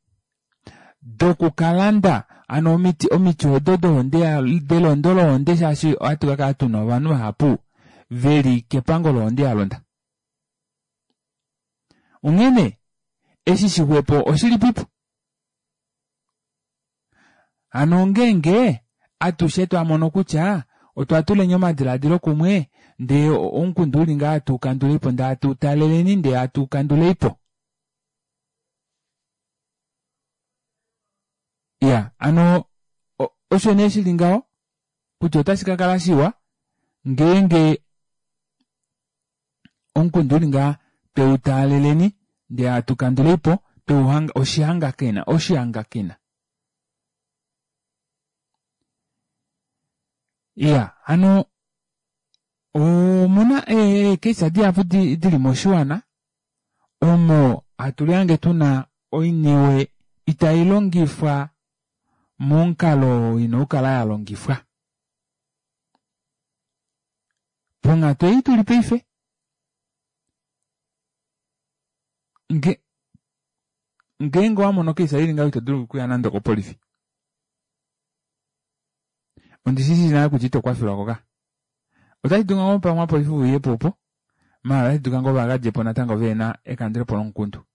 dokukalanda ano omiti omiti odo dohonde delondo lohonde shaashi ohatu ka kala tuna ovanhu vahapu veli kepango lohonde ya londa. Onghene eshi shixwepo oshilipipo? Hano ongeenge atushe twa mono kutya otwa tuleni omadiladilo kumwe ndee omukundu uli ngaa atu kanduleipo ndee atu taleleni ndee atu kanduleipo. Ya ano osho nee shili ngaho kutya otashi ka kala shiwa ngeenge omukundu uli ngaa tweu taaleleni ndee hatu kanduleipo tweu oshihangakena oshihangakena. Iya hano omuna eekesa dihapu dili moshiwana omo hatu lihange tuna oiniwe itai longifwa momukalo oo ina okukala ya longifwa. Ponghatu ei tuli paife, nge ngeenge owa mono okeisa ili ngaho ito dulu okuya nande okopolifi. Ondi shi shii nale kutya ito kwafelwa ko ka. Otashi dulika ngoo pamwe opolifi uye po opo, maala otashi dulika ngoo va ka dje po natango ve na ekandulepo lomukundu.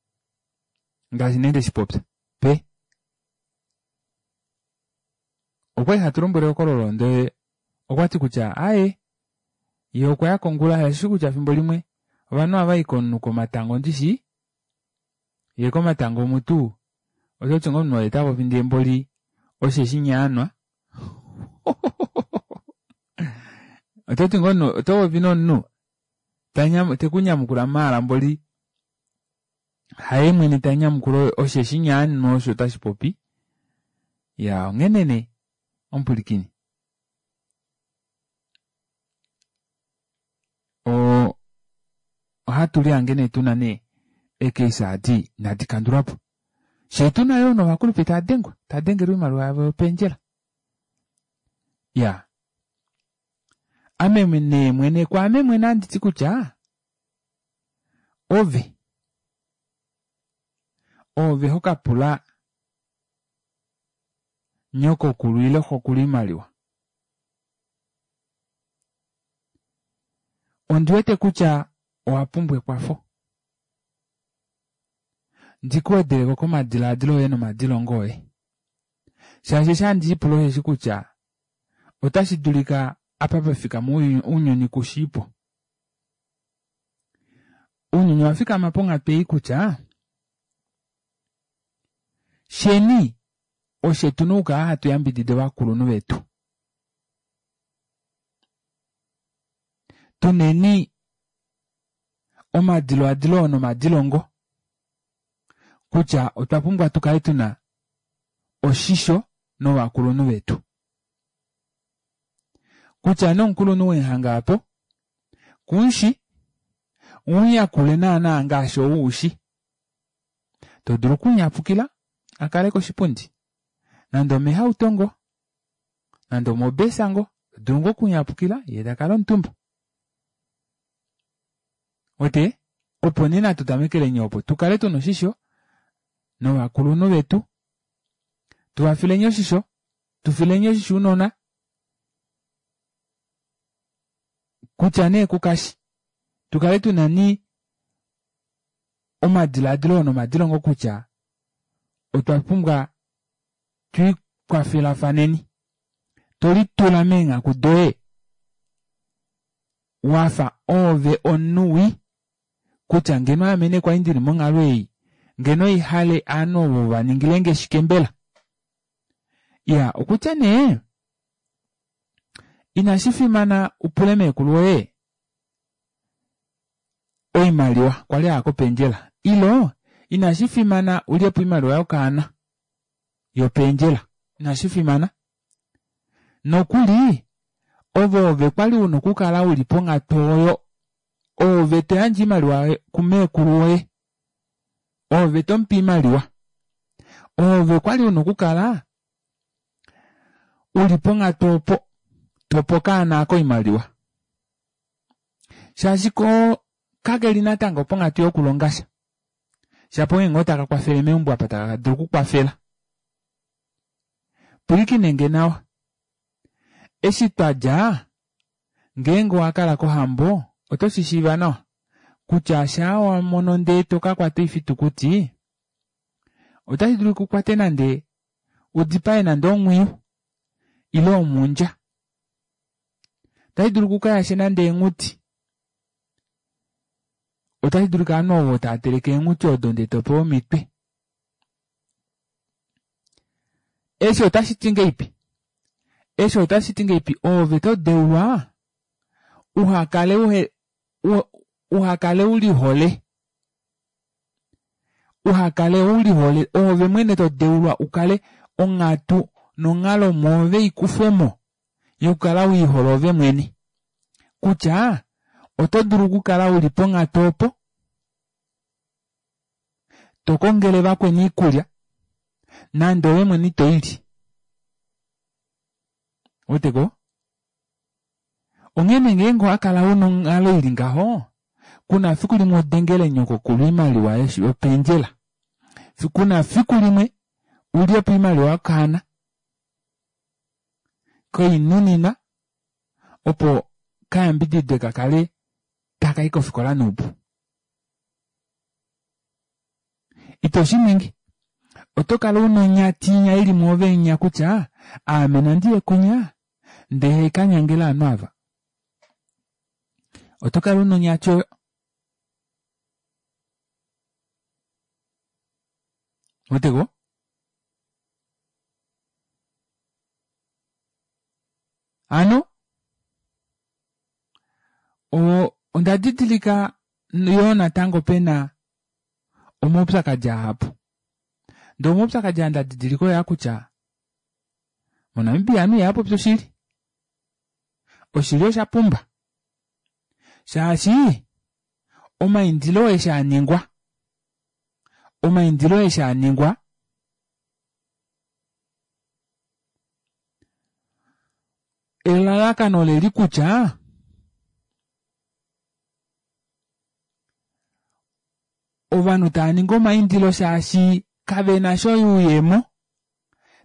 Ngaashi nee nde shi popya pe. Okwali hatu lombwele ehokololo ndele okwa ti kutya aaye ye okwa ya kongula shaashi kutya fimbo limwe ovanhu ohava i komunhu komatango ndishi ye komatango omutu oto ti ngoo omunhu oye ta popi ndee mboli osheshi nyaanwa oto ti ngoo omunhu oto popi nomunhu te ku nyamukula maala mboli haye mwene ta nyamukula osheshi nyaanwa osho tashi popi ya onghene nee omupwilikini. Ohatu lihange nee tuna nee eecase adi inadi kandulwa po. Shee tuna yoo novakulupe tava dengwa, tava dengelwa oimaliwa yavo yopendjela. Ya. Ame nee mwene kwaame mwene handi ti kutya ove oove ho ka pula nyokokulu ile xokulu oimaliwa. Ondi wete kutya owa pumbwa ekwafo. Ndi ku wedeleko komadilaadilo oye nomadilongo oye. Shaashi eshi handi lipula osheshi kutya otashi dulika apa pa fikama ounyuni kushiipo. Ounyuni owa fikama ponghatu ei kutya sheni oshe tu na okukala hatu yambidida ovakulunhu vetu. Tuneni omadiloadilo nomadilongo kutya otwa pumbwa tu kale tuna oshisho novakulunhu vetu. Kutya nomukulunhu weehanga apo kumushi umuyakule naana ngaashi ou ushi. To dulu okunyapukila a kale koshipundi nande omehauto ngo nande omobesa ngo to dulu ngoo okunyapukila ye ta kala omutumba. Wete opo nee natu tamekeleni opo tu kale tuna oshisho novakulunhu vetu tu va fileni oshisho tu fileni oshisho ounona kutya nee kukashi tu kale tuna ni omadilaadilo nomadilongo kutya otwa pumbwa twiikwafelafaneni to litula meenghaku doye wafa oove omunhu wii kutya ngeno ame nee kwali ndili monghalo ei ngeno ihale aanhu ovo va ningilenge shike mbela ya okutya nee inashi fimana upule meekulu woye oimaliwa kwali aya kopendjela ilo inashi fimana ulyepo oimaliwa yokaana yopendjela inashi fimana nokuli ove ove kwali una okukala uli ponghatu oyo ove to yandje oimaliwa kumeekulu woye ove to mupe oimaliwa ove kwali una okukala uli ponghatu opo tope okaana ako oimaliwa shaashi ko kakeli natango ponghatu yokulonga sha shapo onghee ngoo taka kwafele meumbo apa taka dulu okukwafela pwilikine nge nawa eshi twa dja ngeenge owa kala kohambo oto shi shiiva nawa kutya shaa wa mono ndee to ka kwata oifitukuti otashi dulu ku kwate nande u dipae nande omwiyu ile omundja otashi dulu ku ka yashe nande eenghuti otashi dulika ovanhu ovo tava teleke eenghuti odo ndee to pewa omitwe Eshi otashi ti ngeipi? Eshi otashi ti ngeipi oove to deulwa uha kale uhe uha kale u lihole uha kale u lihole oove mwene to deulwa u kale onghatu nonghalo mwoove i kufwe mo yokukala u ihole ove mwene kutya oto dulu okukala u li ponghatu opo to kongele vakweni iikulya nande owe mwene ito i li. Weteko? Onghene ngeenge owa kala una onghalo ili ngaho, kuna fiku limwe odengele nyokokulu oimaliwa yopendjela. Kuna fiku limwe ulye po oimaliwa yokaana koinunina opo kayambididwe ka kale taka i kofikola noupu. Ito shi ningi. Oto kala u na onyati inya i li mwoove inya kutya, Aame nandi ye kwinya, ndee ka nyangele ovanhu ava. Oto kala u na onyati oyo. Weteko? Hano, onda didilika yoo natango pe na omaupyakadi ahapu. Ndee omaupyakadi aa nda didilika oyaa kutya moNamibia ovanhu ihava popi oshili. Oshili osha pumba shaashi Omaindilo eshi a ningwa omaindilo eshi a ningwa elalakano oleli kutya ovanhu tava ningi omaindilo shaashi kave na sha oyuuyemo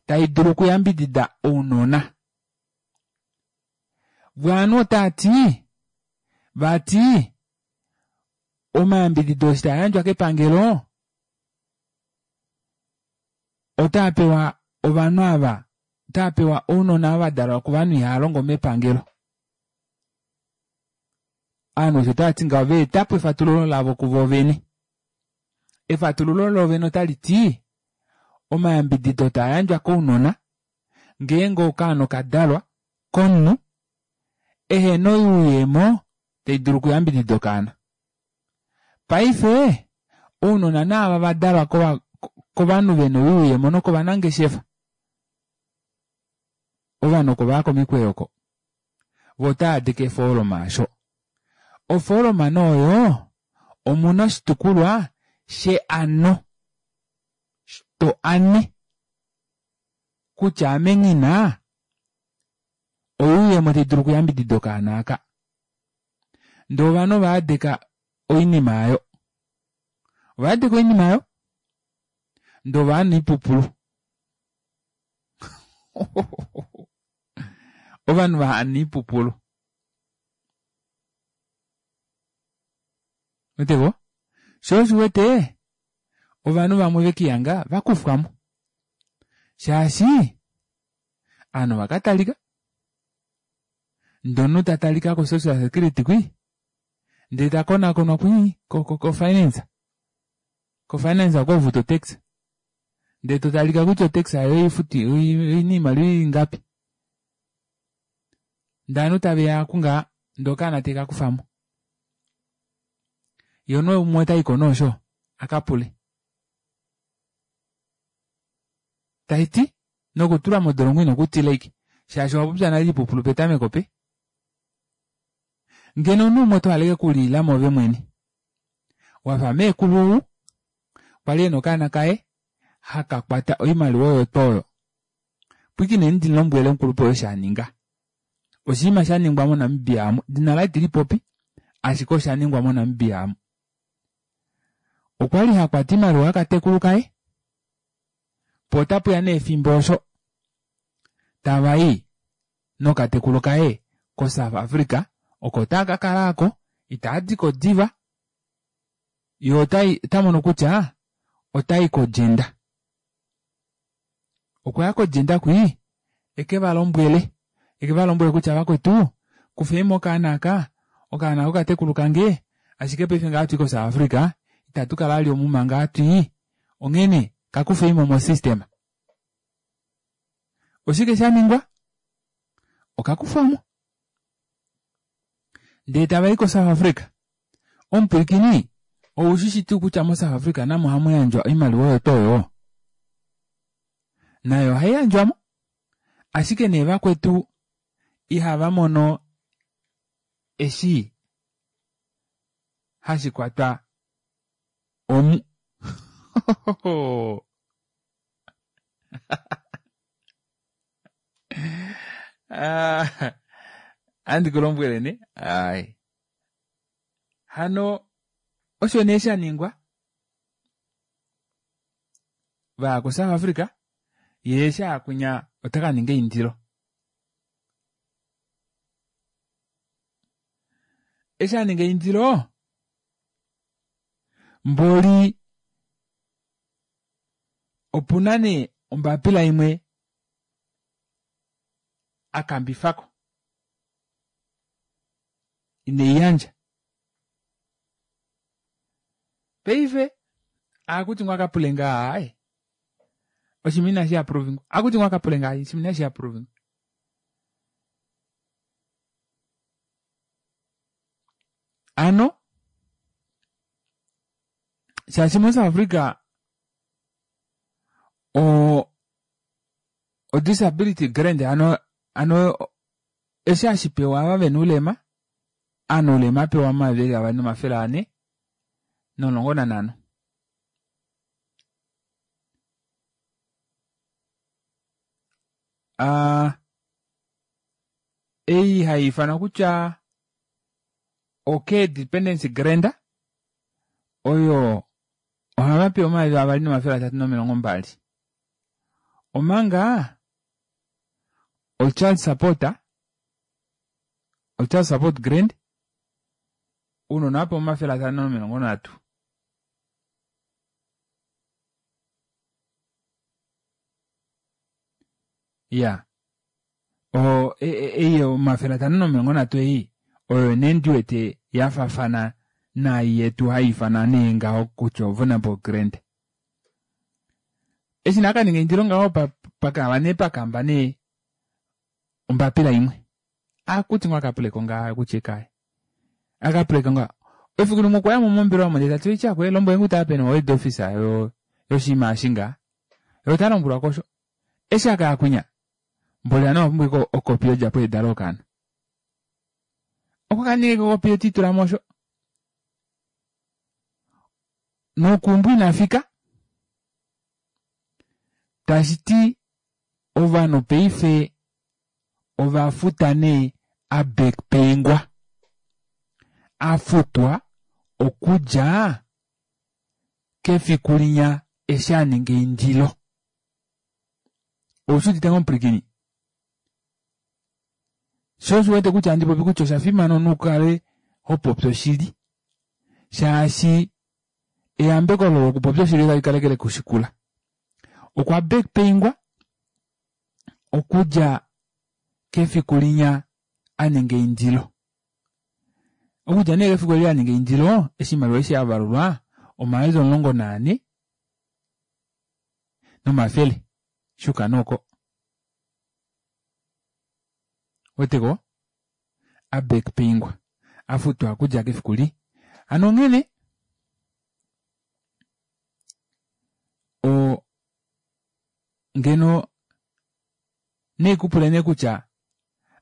tai dulu okuyambidida ounona. Vwaanhu otaa ti vati omayambidido eshi taa yandjwa kepangelo otaa pewa ovanhu ava otaa pewa ounona ava dalwa kovanhu ihava longo mepangelo. Ovanhu osho tava ti ngaho va eta po efatululo lavo kuvo vene. Efatululo lovene otali ti omayambidido taa yandjwa kounona ngeenge okaana okadalwa komunhu ehena oyuuyemo tai dulu okuyambidida okaana. Paife ounona naava va dalwa kovanhu vena oyuuyemo nokovanangeshefa ovanhu oko vaya komikweyo oko vo otava adika efooloma asho. Ofooloma nee oyo omuna oshitukulwa sheano to ane kutya ame nghina oyuuyemo tai dulu okuyambidida okaana aka. Ndee ovanhu ova adika oinima aayo. Ova adika oinima aayo ndee ova ana oipupulu. Ovanhu va ana oipupulu. Weteko? Sho osho wete ovanhu vamwe vekihanga vakufwamo shaashi ovanhu vakatalika ndee omunhu tatalika ko social security kwii ndee takonakonwa kwii ko finance ko finance oko hofutu otax ndee totalika kutya otax ayo oifuti oina oimaliwa ingapi ndee ovanhu taveya kungaha ndee okaana tekakufamo yee omunhu umwe otaiko nee osho akapule taiti nokutulwa modolongo ino kutila ashike shaashi owapopya nale oipupulu petameko pe ngeno omunhu umwe oto hale kuliilamo ove mwene wafa meekulu ou kwali ena okaana kaye haka kwata oimaliwa oyo twoo oyo pwikineni ndimulombwele omukulupe oo eshi aninga oshinima sha ningwa moNamibia amu dina laye itilipopi ashike osha ningwa moNamibia amu okwali hakwata oimaliwa yakatekulu kaye po otapuya nee efimbo osho tavai nokatekulu kaye koSouth Africa oko taa ka kala ako itaa diko diva ye ota mono kutya otai kodjenda okwa ya kodjenda kwii eke va lombwele eke va lombwele kutya vakwetu kufeimo okaana aka okaana kokatekulu kange ashike paife nga hatui koSouth Africa itatu kala ali omu manga hatui onghene kakufeimo mo system oshike sha ningwa okakufwamo ndee tava i koSouth Africa omupwilikini oushi shi tuu kutya moSouth Africa namo ohamu yandjwa oimaliwa oyo tuu oyo nayo ohai yandjwamo ashike nee vakwetu ihava mono eshi hashi kwatwa omu Ah, andi ku lombwele ne ai hano osho nee sha ningwa vaya koSouth Africa yee eshi aya kwinya ota ka ninga eindilo eshi a ninga eindilo mboli opuna nee ombapila imwe a kambifako inei yandja paife akuti ngoo akapule ngaa aaye oshinima inashi approvingwa akuti ngoo akapule ngaa oshinima inashi approvingwa ano shaashi moSouth Africa o o disability grant ano ano eshi hashi pewa ava vena oulema ovanhu oulema apewa 2400. no15. A ei hai ifanwa kutya o-Care Dependency Grant oyo ohava pewa 2320 omanga o-child support o-child support grant ounona ovapewa 530. Ya o ei 530 ei oyo nee ndiwete yafafana naai yetu hai ifanwa nee ngaho kutya o-vulnerable grant. Eshi nee akaninga eindilo ngaho pakava nee pakamba nee ombapila imwe akuti ngo akapuleko ngaa kutya ekaye akapuleko ngaa efiku limwe okwa yamo mombelewa omo ndee tati oitya kwe lombwele ngu taa peni ohead officer yo yoshinima eshi ngaa ye ota lombwelwa kosho eshi akaya kwinya mboli aniwa owa pumbwa okopi yodjapo yedalo yokaana okwa kaninga okopi yotitula mosho nokuumbo ina fika tashi ti ovanhu paife ova futa nee a backpayingwa a futwa okudja kefiku linya eshi a ninga eindilo. Oushi udite ngoo omupwilikini? Sho osho wete kutya handi popi kutya osha fimana omunhu ukale ho popi oshili shaashi eyambeko olo lokupopya oshili otali kaleke lekushikula. Okwa backpayingwa okudja kefiku linya a ninga eindilo. Okudja nee kefiku eli a ninga eindilo, eshi oimaliwa eshi ya valulwa 14,100 shuka nooko. Weteko? A backpayingwa. A futwa okudja kefiku li. Hano onghene o ngeno neikupule nee kutya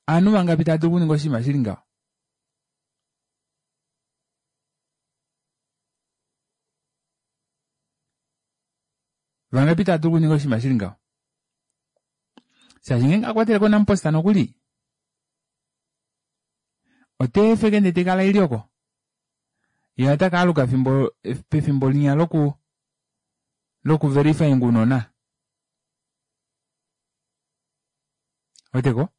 aanhu vangapi tava dulu okuninga oshinima shili ngaho? Vangapi tava dulu okuninga oshinima shili ngaho? Shaashi ngeenge a kwatele ko Nampost nokuli ote efeke ndee tekala ili oko ye ota ka aluka fimbo pefimbo linya loku loku verifying unona. Weteko?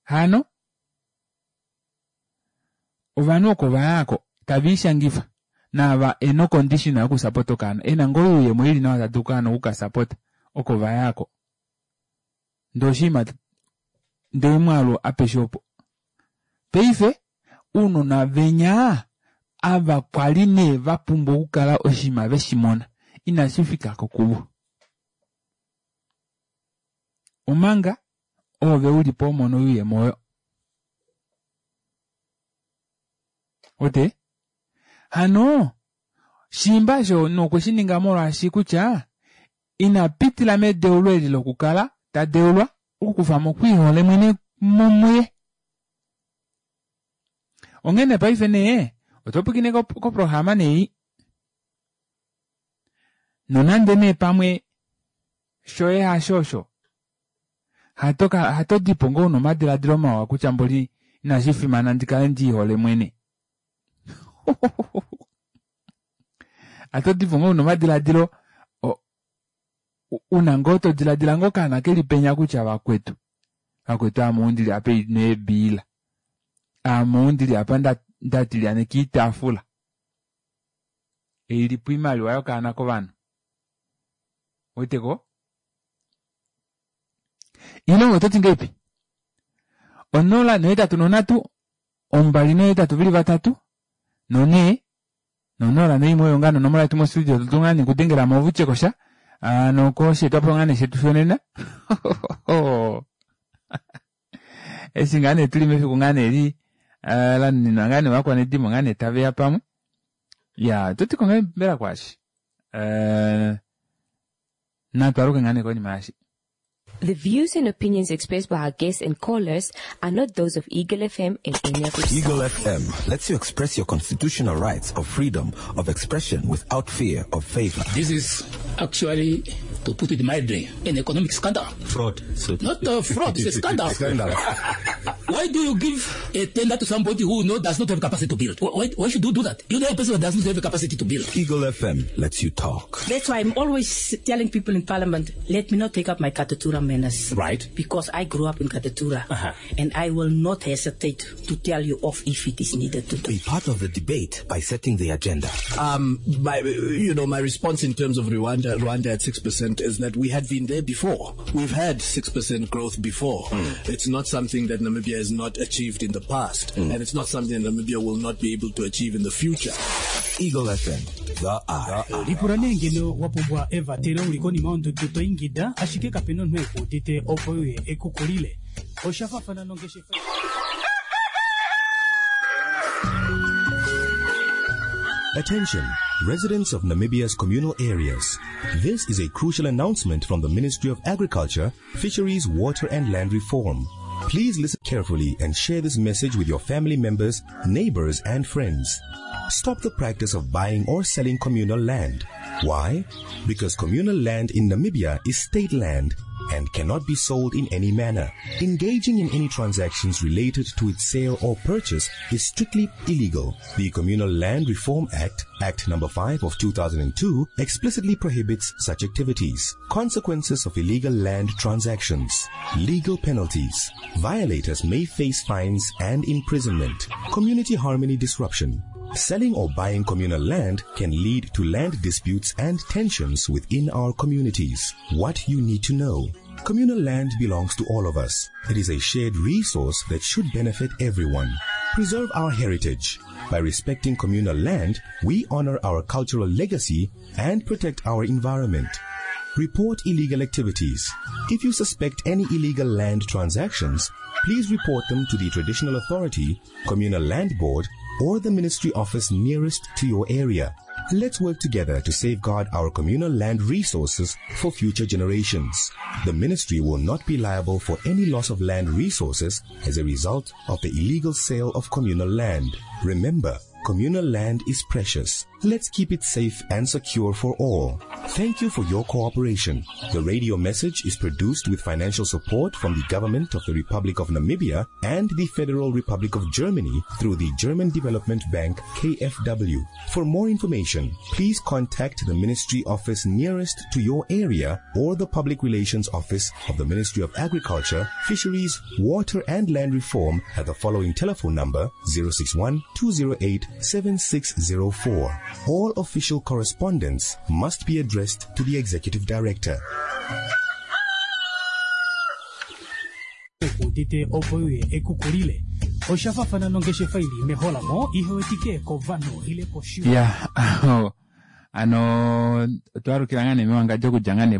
Hano ovanhu oko vayako tava ishangifa naava ena ocondition yokusapota okaana ena ngoo oyuuyemo ili nawa tadulu okaana okukasapota oko vayako ndee oshinima ndee omwaalu apeshe opo paife ounona venya ava kwali nee vapumbwa okukala oshinima veshimona inashi fikako kuvo omanga oove ulipo homono oyuuyemo oyo Wete? Hano shiimba osho nokwe shi ninga molwaashi kutya ina pitila medeulo eli lokukala ta deulwa okukufa mo okwiihole mwene muye. Onghene paife nee oto pwilikine koprograma nei nonande nee pamwe shoye hasho osho hato ka hato dipo ngoo una omadiladilo mawa kutya mboli inashi fimana ndi kale ndi ihole mwene. Hato dipo ngoo una omadiladilo una ngoo to diladila ngoo okaana keli penya kutya vakwetu vakwetu ame ou ndili apa neebiila ame ou ndili apa nda tilyaneka oitaafula eilipo oimaliwa yokaana kovanhu. Weteko? Ile oto ti ngeipi? 0 8 3 2 nohetatu veli vatatu nonhee nonola noimwe oyo ngaa nonomola yetu mostudio to dulu ngaa nee okudengela mo ove utye kosha nokosheetwapo ngaa nee shetu shonena eshi ngaa nee tuli mefiku ngaa nee li la nuninwa ngaa nee ovakwanedimo ngaa nee tave ya pamwe ya oto ti ko ngaa mbela kwaashi natu aluke ngaa nee konima yashi. The views and opinions expressed by our guests and callers are not those of Eagle FM and any of its Eagle FM lets you express your constitutional rights of freedom of expression without fear of favor. This is actually, to put it mildly, an economic scandal. Fraud. So Not a fraud, it's a scandal. Scandal. Why do you give a tender to somebody who does not have capacity to build? Why should you do that? You know a person that does not have capacity to build. Eagle FM lets you talk. That's why I'm always telling people in parliament, let me not take up my Katutura manners. Right. Because I grew up in Katutura. Uh-huh. And I will not hesitate to tell you off if it is needed to do. Be part of the debate by setting the agenda. My response in terms of Rwanda at 6% is that we had been there before. We've had 6% growth before. It's not something that Namibia has not achieved in the past, and it's not something that Namibia will not be able to achieve in the future. Eagle FM, the eye. Lipula nee ngeno wa pumbwa evatelo uli konima yondudu to ingida ashike kapena omunhu ekuudite opo uye ekukulile. Osha faafana nongeshefa. Attention, residents of Namibia's communal areas. This is a crucial announcement from the Ministry of Agriculture, Fisheries, Water and Land Reform. Please listen carefully and share this message with your family members, neighbors and friends. Stop the practice of buying or selling communal land. Why? Because communal land in Namibia is state land and cannot be sold in any manner. Engaging in any transactions related to its sale or purchase is strictly illegal. The Communal Land Reform Act, Act Number 5 of 2002, explicitly prohibits such activities. Consequences of illegal land transactions. Legal penalties. Violators may face fines and imprisonment. Community harmony disruption. Selling or buying communal land can lead to land disputes and tensions within our communities. What you need to know. Communal land belongs to all of us. It is a shared resource that should benefit everyone. Preserve our heritage. By respecting communal land, we honor our cultural legacy and protect our environment. Report illegal activities. If you suspect any illegal land transactions, please report them to the traditional authority, communal land board, or the ministry office nearest to your area. Let's work together to safeguard our communal land resources for future generations. The ministry will not be liable for any loss of land resources as a result of the illegal sale of communal land. Remember, communal land is precious. Let's keep it safe and secure for all. Thank you for your cooperation. The radio message is produced with financial support from the Government of the Republic of Namibia and the Federal Republic of Germany through the German Development Bank KfW. For more information, please contact the ministry office nearest to your area or the Public Relations Office of the Ministry of Agriculture, Fisheries, Water and Land Reform at the following telephone number 061 208 7604. All official correspondence must be addressed to the Executive Director. Ekuudite opo uye ekukulile. Osha faafana nongeshefa ili meholamo ihewetike kovanhu ile koshiwa. Ya, ano otwalukila ngaa nee mewangandjo okudja ngaa nee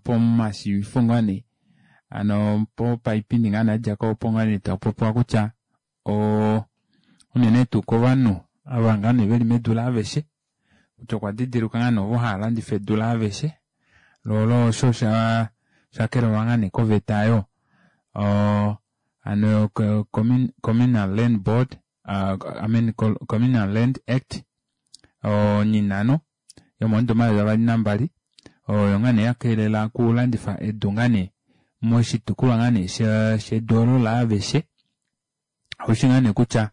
pomashivifo ngaa nee ano popaipindi ngaa nee adjako opo ngaa nee tapopiwa kutya unene tuu kovanhu ava ngaa nee veli medu laaveshe kutya okwa didilika ngaa nee ovo hava landifa edu laaveshe lolo osho shakelelwa ngaa nee koveta yo ano Communal Land Board, I mean Communal Land Act onyinano yomomudo 2022 oyo ngaa nee yakelela okulandifa edu ngaa nee moshitukulwa ngaa nee shedu olo laaveshe. Oshi ngaa nee kutya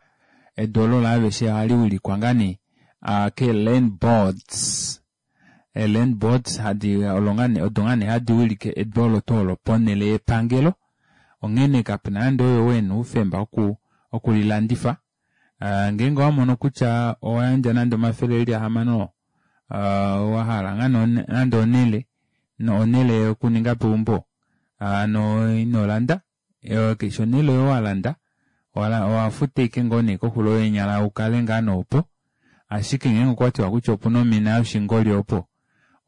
edu olo laaveshe ohali wilikwa ngaa nee ke land boards. Land boards hadi olo ngaa nee odo ngaa nee hadi wilike edu olo tuu olo ponhele yepangelo. Onghene kapena nande oyo wena oufemba okulilandifa. Ngeenge owamono kutya owayandja nande 600 wahala ngaa nande onhele onhele yokuninga peumbo ano ino landa keshe onhele oyo walanda owafuta ashike ngoo nee koxulo yeenyala ukale ngaa noopo. Ashike ngeenge okwatiwa kutya opuna omina yoshingoli opo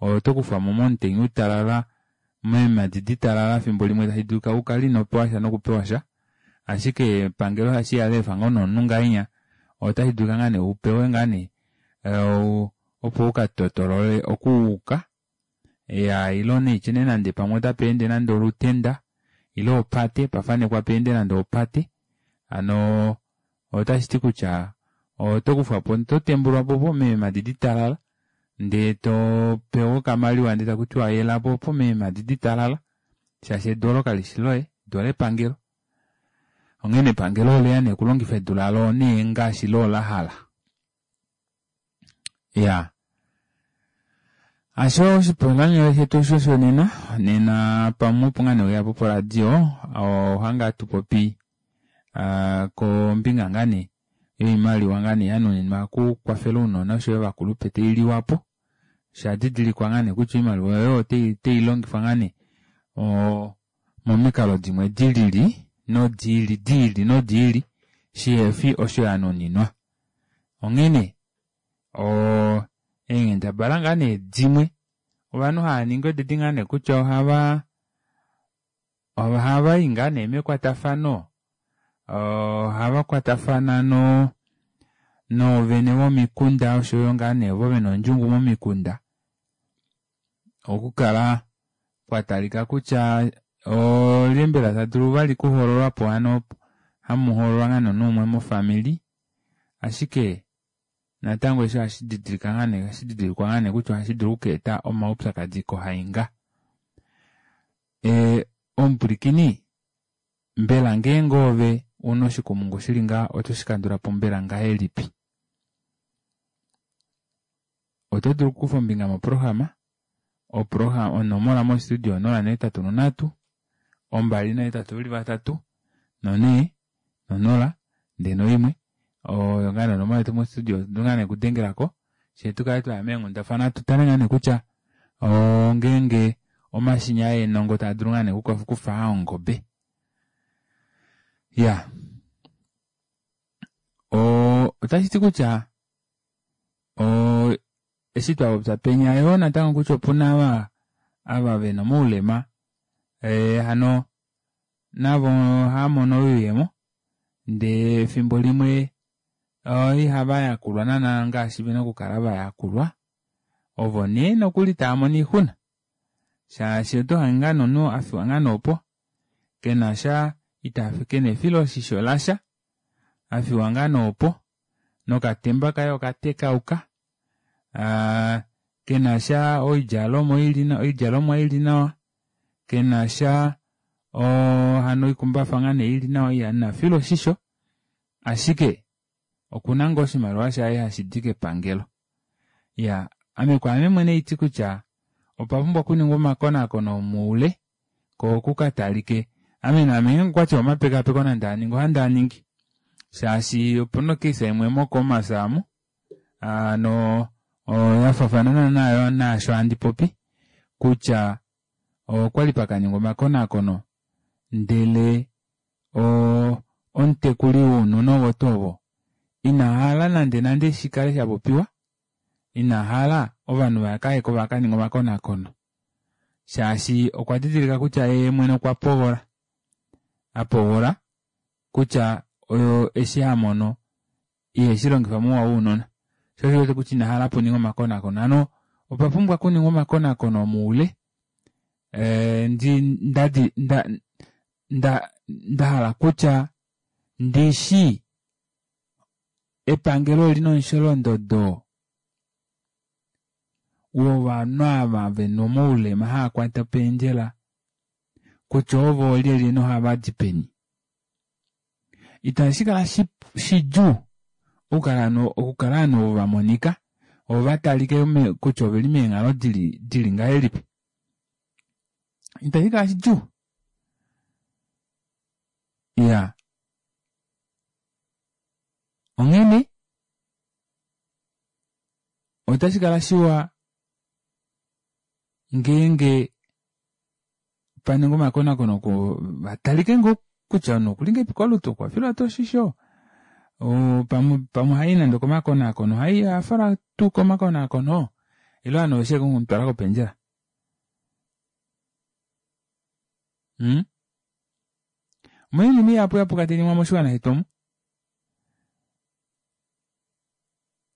oto kufwamo momutenya utalala meemadi ditalala fimbo limwe tashi dulika ukale ino pewa sha nokupewa sha. Ashike epangelo ohashi ya lefa ngoo nomunhu ngahenya otashi dulika ngaa nee upewe ngaa nee opo ukatotolole okuuka Ya, ile nee nee nande pamwe otapa ende nande olutenda ile opate, pafanekwa pa ende nande opate. Hano otashi ti kutya oto kufwa po, oto tembulwa po po meemhadi ditalala ndee to pewa okamaliwa ndee taku tiwa yela po po meemhadi ditalala shaashi edu olo kali shi loye, edu olepangelo. Onghene epangelo oleya nee okulongifa edu lalo nee ngaashi loo la hala. Ya. Asho oshipalanyole shetu osho shonena, nena pamwe opo ngaa nee weya po poradio, ohanga tupopi kombinga ngaa nee yoimaliwa ngaa nee yanuninwa okukwafela ounona oshoyo ovakulupe tailiwa po. Osha didilikwa ngaa nee kutya oimaliwa oyo otai longifwa ngaa nee momikalo dimwe dilili nodiili diili nodiili shihefi osho yanuninwa. Onghene eenghendabala ngaa nee dimwe ovanhu hava ningi odedi ngaa nee kutya ohava ohava i ngaa nee mekwatafano, ohava kwatafana no noovene vomikunda oshoyo ngaa nee ovo vena ondjungu momikunda okukala kwa talika kutya olye mbela ta dulu vali kuhoololwa po hano hamu hoololwa ngaa nee omunhu umwe mofamili ashike natango eshi ohashi didilika ngaa nee ohashi didilikwa ngaa nee kutya ohashi dulu okukeeta omaupyakadi kohainga. Omupwilikini mbela ngeenge ove una oshikumungu shili ngaha oto shi kandula po mbela ngahelipi? Oto dulu okukufa ombinga moprograma, onomola mostudio 083 283 4 no0 ndee noimwe oyo ngaa nee onomola yetu mostudio oto dulu ngaa nee okudengelako fyee tukale twaya meenghundafana tutale ngaa nee kutya ngeenge omashini eenongo taa dulu ngaa nee okufa ongobe. Ya, otashi ti kutya eshi twapopya penya yoo natango kutya opuna ava vena omaulema hano navo ohava mono oyuuyemo ndee efimbo limwe ihava yakulwa naana ngaashi vena okukala vayakulwa ovo nee nokuli tava mono oixuna shaashi oto hange ngaa nomunhu afiwa ngaa nee opo kena sha ita kena efiloshisho lasha afiwa ngaa nee opo nokatemba kaye okatekauka kena sha oidjalomwa ili nawa kena sha hano oikumbafa ngaa nee ili nawa ina filwa oshisho ashike okuna ngoo oshimaliwa shaye hashi di kepangelo. Ya, ame kwaame mwene iti kutya opa pumbwa okuningwa omakonakono omoule ko kukatalike ame naame ngeenge okwati omapekapeko nande aningi ohandi aningi shaashi opuna okesa imwe moCommerce amu no yafafana naana naasho handi popi kutya okwali pakaningwa omakonakono ndele omutekuli wounona ovo tuu ovo ina hala nande nande shikale shapopiwa ina hala ovanhu vakayeko vakaninga omakonakono shaashi okwa didilika kutya yee mwene okwa pogola apogola kutya oyo eshi hamono iheshi longifa mouwa wounona sho osho wete kutya ina hala puninga omakonakono hano opa pumbwa kuningwa omakonakono omoule ndi nda nda hala kutya ndishi epangelo olina omusholondodo wovanhu ava vena omaulema hava kwata opendjela kutya ovo oolyelye nohava di peni. Itashi kala shidjuu okukala ovanhu ovo va monika ovo va talike kutya oveli meenghalo dili ngahelipi. Itashi kala shidjuu. Ya. Onghene otashi kala shiwa ngeenge paningwa omakonakono ko vatalike ngoo kutya omunhu okuli ngahelipi kolutu okwa filwa tuu oshisho pamwe ohai nande okomakonakono ohai ohafalwa tuu komakonakono ile ovanhu oveshe okumutwala kopendjela. Omuna oinima ihapu yapuka tainingwa moshiwana shetu omu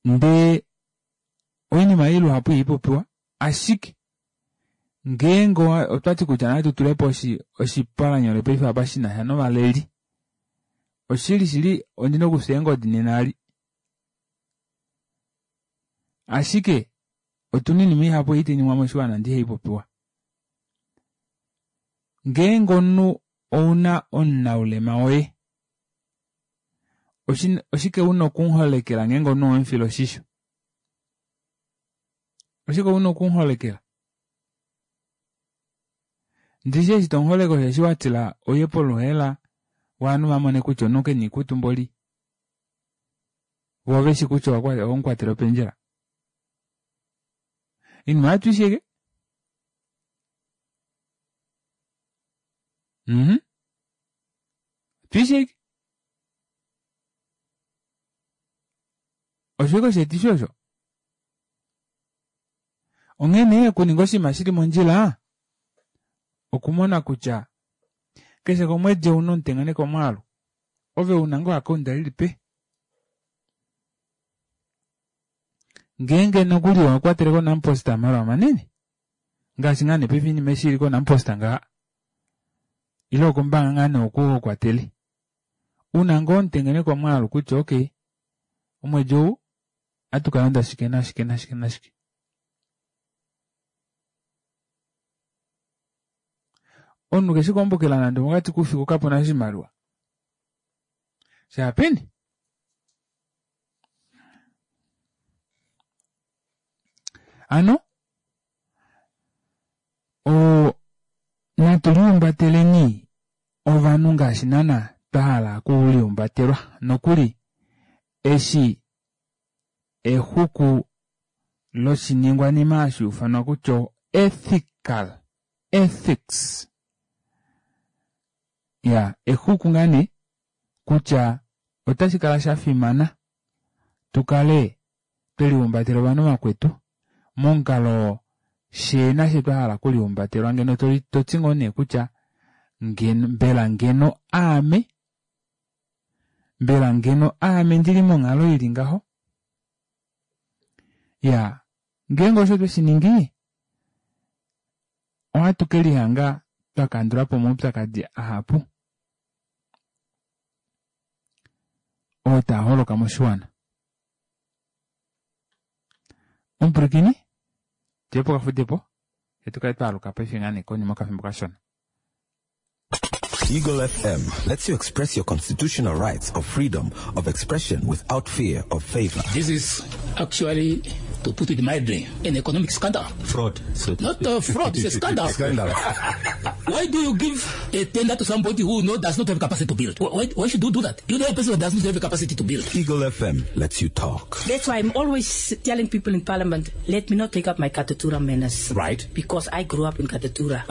ndee oinima ei luhapu ihaipopiwa ashike. Ngeenge otwati kutya natu tulepo oshipalanyole paife apa shinasha novaleli, oshili shili ondina okufya eengodi nena ali. Ashike otuna oinima ihapu ei tainingwa moshiwana ndee ihaipopiwa. Ngeenge omunhu ouna omunaulema woye, oshike una okumuholekela ngeenge omunhu owemufila oshisho? Oshike una okumuholekela? Ndishi eshi tomuholeke osheshi watila uye poluhaela ovanhu vamone kutya omunhu kena oikutu mboli, voo veshi kutya owemukwatela opendjela. Oinima oyo tuisheke. Tuisheke. Osho ike osheetifi osho. Onghee nee okuninga oshinima shili mondjila okumona kutya keshe komwedi ouna omutengeneko omwaalu ove una ngoo akaunda lilipe ngeenge nokuli owa kwatele koNampost omalwa manene ngaashi ngaa nee paife oinima eshi ili koNampost ngaha ile okombaanga ngaa nee oku ho kwatele una ngoo omutengeneko omwaalu kutya okay omwedi ou ohatu kalanda shike nashike nashike nashike. Omunhu keshi kombukila nande mokati koufiku kapuna oshimaliwa shaapeni. Hano natu lihumbateleni ovanhu ngaashi naana twa hala okulihumbatelwa nokuli eshi exuku loshiningwanima hashi ufanwa kutya ethical ethics ya exuku ngaa nee kutya otashi kala sha fimana tukale twelihumbatela ovanhu vakwetu momukalo fyee nashe twa hala okulihumbatelwa ngeno toti ngoo nee kutya ngeno mbela ngeno aame mbela ngeno aame ndili monghalo ili ngaho ya ngeenge osho tweshi ningi ohatu kelihanga twakandulapo omaupyakadi ahapu oo taa holoka moshiwana. Omupwilikini, tuye pokafudepo, fye tukale twaaluka paife ngaa nee konima yokafimbo kashona. Eagle FM lets you express your constitutional rights of freedom of expression without fear of favor. This is actually, to put it mildly, an economic scandal. Fraud. So Not a fraud, it's a scandal. Scandal. Why do you give a tender to somebody who does not have capacity to build? Why should you do that? You know a person that does not have capacity to build. Eagle FM lets you talk. That's why I'm always telling people in Parliament, let me not take up my Katutura manners. Right. Because I grew up in Katutura.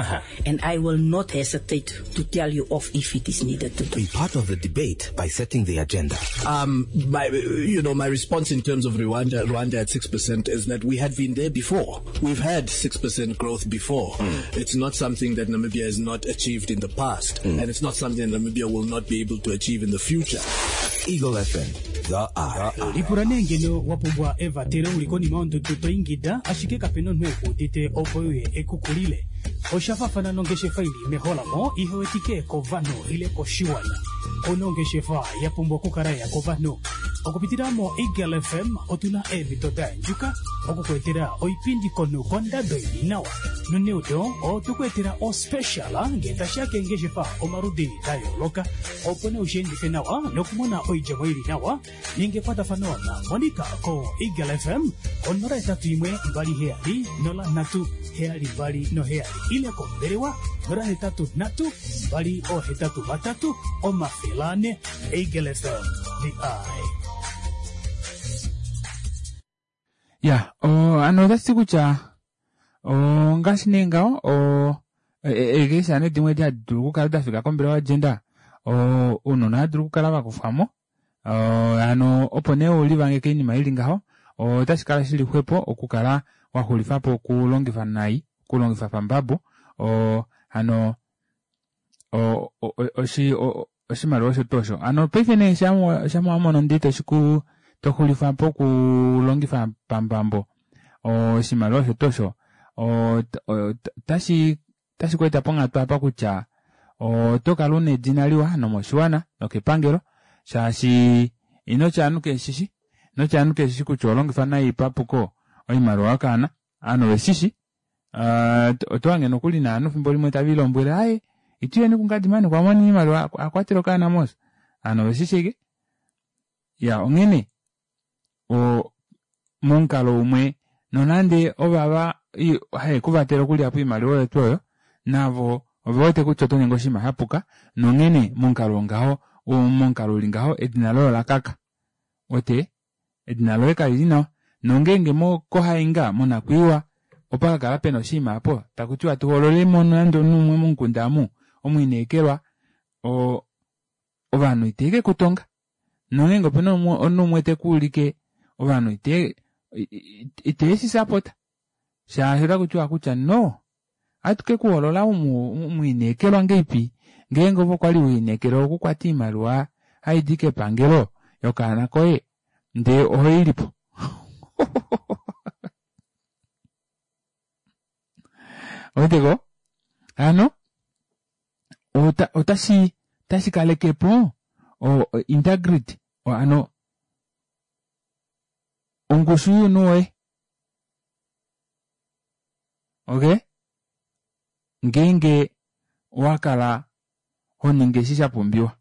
And I will not hesitate to tell you off if it is needed to do. Be part of the debate by setting the agenda. My response in terms of Rwanda at 6% is that we had been there before. We've had 6% growth before. It's not something that Namibia has not achieved in the past, and it's not something that Namibia will not be able to achieve in the future. Eagle FM, the eye. Lipula nee ngeno wa pumbwa evatelo uli konima yondudu to ingida ashike kapena omunhu ekuudite opo uye ekukulile. Osha faafana nongeshefa ili meholamo ihewetike kovanhu ile koshiwana. Ouna ongeshefa ya pumbwa okukala ya kovanhu. Okupitila mo Eagle FM otuna eemhito da yandjuka okukuetela oipindi komunhu kondado ili nawa. Noneudo otu kuetela ospecial ngee tashiya keengeshefa omaludi da yooloka opo nee ushiendife nawa nokumona oidjemo ili nawa. Ninga ekwatafano na Monica ko Eagle FM ko 081 27 03 72 ile kombelewa 083 283 400. Eagle FM, the eye. Ya, ano otashi ti kutya ongaashi nee ngaho eekeisha nee dimwe edi hadi dulu okukala da fika kombelewa yogender, ounona ohava dulu okukala va kufwa mo. Hano opo nee ulivange koinima ili ngaho, otashi kala shili xwepo okukala wa xulifa po okulongifa nai, okulongifa pambabo, hano oshimaliwa osho tuu osho. Hano paife nee shamwa wamono ndee to xulifa po okulongifa pambambo oshimaliwa osho tuu osho, Otashi otashi ku eta ponghatu apa kutya oto kala una edina liwa nomoshiwana nokepangelo shaashi ino tya ovanhu keshishi ino tya ovanhu keshishi kutya oho longifa nai papuko oimaliwa yokaana ovanhu oveshishi oto hange nokuli naanhu fimbo limwe tave ilombwele aaye ituyeni kungadimani kwamona oimaliwa akwatela okaana moos ovanhu oveshishi ashike ya onghene momukalo umwe nonande ovava haye kuvatela okulya po oimaliwa oyo tuu oyo navo ove wete kutya oto ningi oshinima shapuka nonghene momukalo wongaho momukalo uli ngaho edina loye olakaka ote edina loye kalili nawa nongeenge kohainga monakwiiwa opa kakala pena oshinima aapo takutiwa tuhoololemo nande omunhu umwe momukunda amu omwiinekelwa ovanhu iteke kutonga nongeenge opena omunhu umwe tekuulike ovanhu ite iteeshi sapota shaashi otakutiwa kutya no ohatu kekuhoolola umwiinekelwa ngeipi ngeenge ove okwali wiinekelwa okukwata oimaliwa haidi kepangelo yokaana koye ndee ohoilipo oweteko hano otashi otashi kalekepo integrity hano ongushu younhu woye okay ngeenge owa kala ho ningi eshi sha pumbiwa